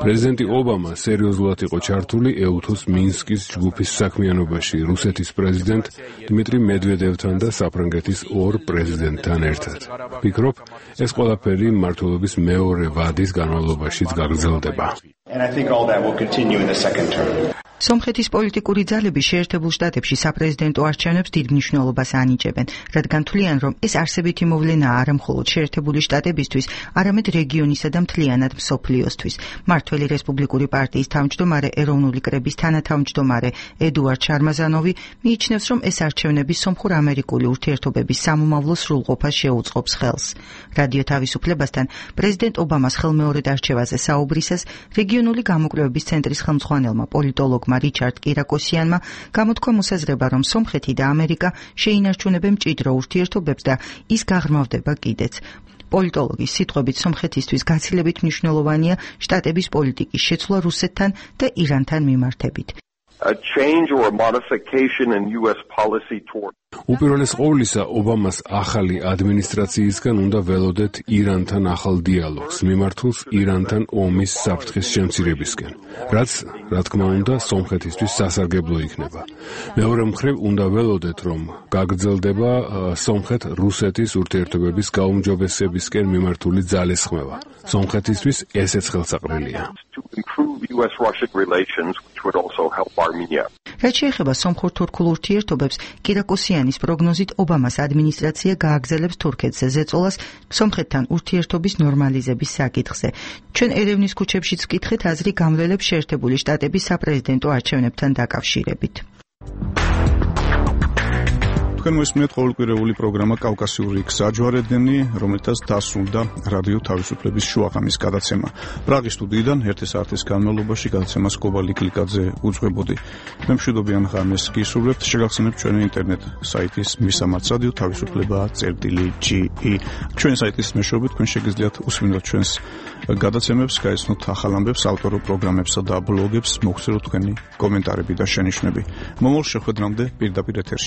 Speaker 19: პრეზიდენტი ობამა სერიოზულად იყო ჩართული ეუთოს მინსკის ჯგუფის საქმიანობაში რუსეთის პრეზიდენტ დიმიტრი მედვედევთან და საფრანგეთის ორ პრეზიდენტთან ერთად. ვფიქრობ, ეს ყველაფერი მმართველობის მეორე ვადის განმავლობაშიც გაგრძელდება.
Speaker 3: And I think all that will continue in the second term.
Speaker 5: სომხეთის პოლიტიკური ძალები შეერთებულ შტატებში საპრეზიდენტო არჩევნებს დიდ მნიშვნელობას ანიჭებენ, რადგან თვლიან, რომ ეს არსებითი მოვლენაა არა მხოლოდ შეერთებული შტატებისთვის, არამედ რეგიონისა და მთლიანად მსოფლიოსთვის. მმართველი რესპუბლიკური პარტიის თავმჯდომარე ეროვნული კრების თანათავმჯდომარე ედუარდ შარმაზანოვი მიიჩნევს, რომ ეს არჩევნები სომხურ-ამერიკული ურთიერთობების სამომავლო სრულყოფას შეუწყობს ხელს. რადიო თავისუფლებასთან პრეზიდენტ ობამას ხელმეორედ არჩევაზე საუბრისას რეგიონული გამოკვლევების ცენტრის ხელმძღვანელმა პოლიტოლოგმა რიჩარდ კირაკოსიანმა გამოთქვა მოსაზრება, რომ სომხეთი და ამერიკა შეინარჩუნებენ მჭიდრო ურთიერთობებს და ის გაღრმავდება კიდეც. პოლიტოლოგის სიტყვებით სომხეთისთვის გაცილებით მნიშვნელოვანია შტატების პოლიტიკის შეცვლა რუსეთთან და ირანთან მიმართებით.
Speaker 17: A change or a modification in U S policy toward
Speaker 19: უპირველეს ყოვლისა, ობამას ახალი ადმინისტრაციისგან უნდა ველოდეთ ირანთან ახალ დიალოგს, მიმართულს ირანთან ომის საფრთხის შემცირებისკენ, რაც, რა თქმა უნდა, სომხეთისთვის სასარგებლო იქნება. მეორე მხრივ, უნდა ველოდეთ, რომ გაგრძელდება სომხეთ-რუსეთის ურთიერთობების გაუმჯობესებისკენ მიმართული ძალისხმევა. სომხეთისთვის ესეც ხელსაყრელია.
Speaker 17: U S Russian relations, which would also help Armenia.
Speaker 5: რაც შეეხება სომხურ-თურქულ ურთიერთობებს, კირაკოსიანის პროგნოზით ობამას ადმინისტრაცია გააგრძელებს თურქეთზე ზეწოლას სომხეთთან ურთიერთობის ნორმალიზების საკითხზე. ჩვენ ერევნის ქუჩებშიც ვკითხეთ აზრი გამვლელებს შეერთებული შტატების საპრეზიდენტო არჩევნებთან დაკავშირებით.
Speaker 1: თქვენ მოსმენთ ყოველკვირეული პროგრამა კავკასიური გზაჯვარედინი, რომელთაც დასრულდა რადიო თავისუფლების შუაღამის გადაცემა. პრაღის სტუდიიდან ერთი საათის განმავლობაში გადაცემას კობალი კლიკაძე უძღვებოდი. მე მშვიდობიან ღამეს გისურვებთ, შეგახსენებთ ჩვენი ინტერნეტ საიტის მისამართს რადიო თავისუფლება წერტილი ჯი ი. ჩვენი საიტის მეშვეობით თქვენ შეგიძლიათ უსმინოთ ჩვენს გადაცემებს, გაეცნოთ ახალ ამბებს, ავტორო პროგრამებსა და ბლოგებს, მოგხსენოთ თქვენი კომენტარები და შენიშვნები. მომავალ შეხვედრამდე პირდაპირ ეთერში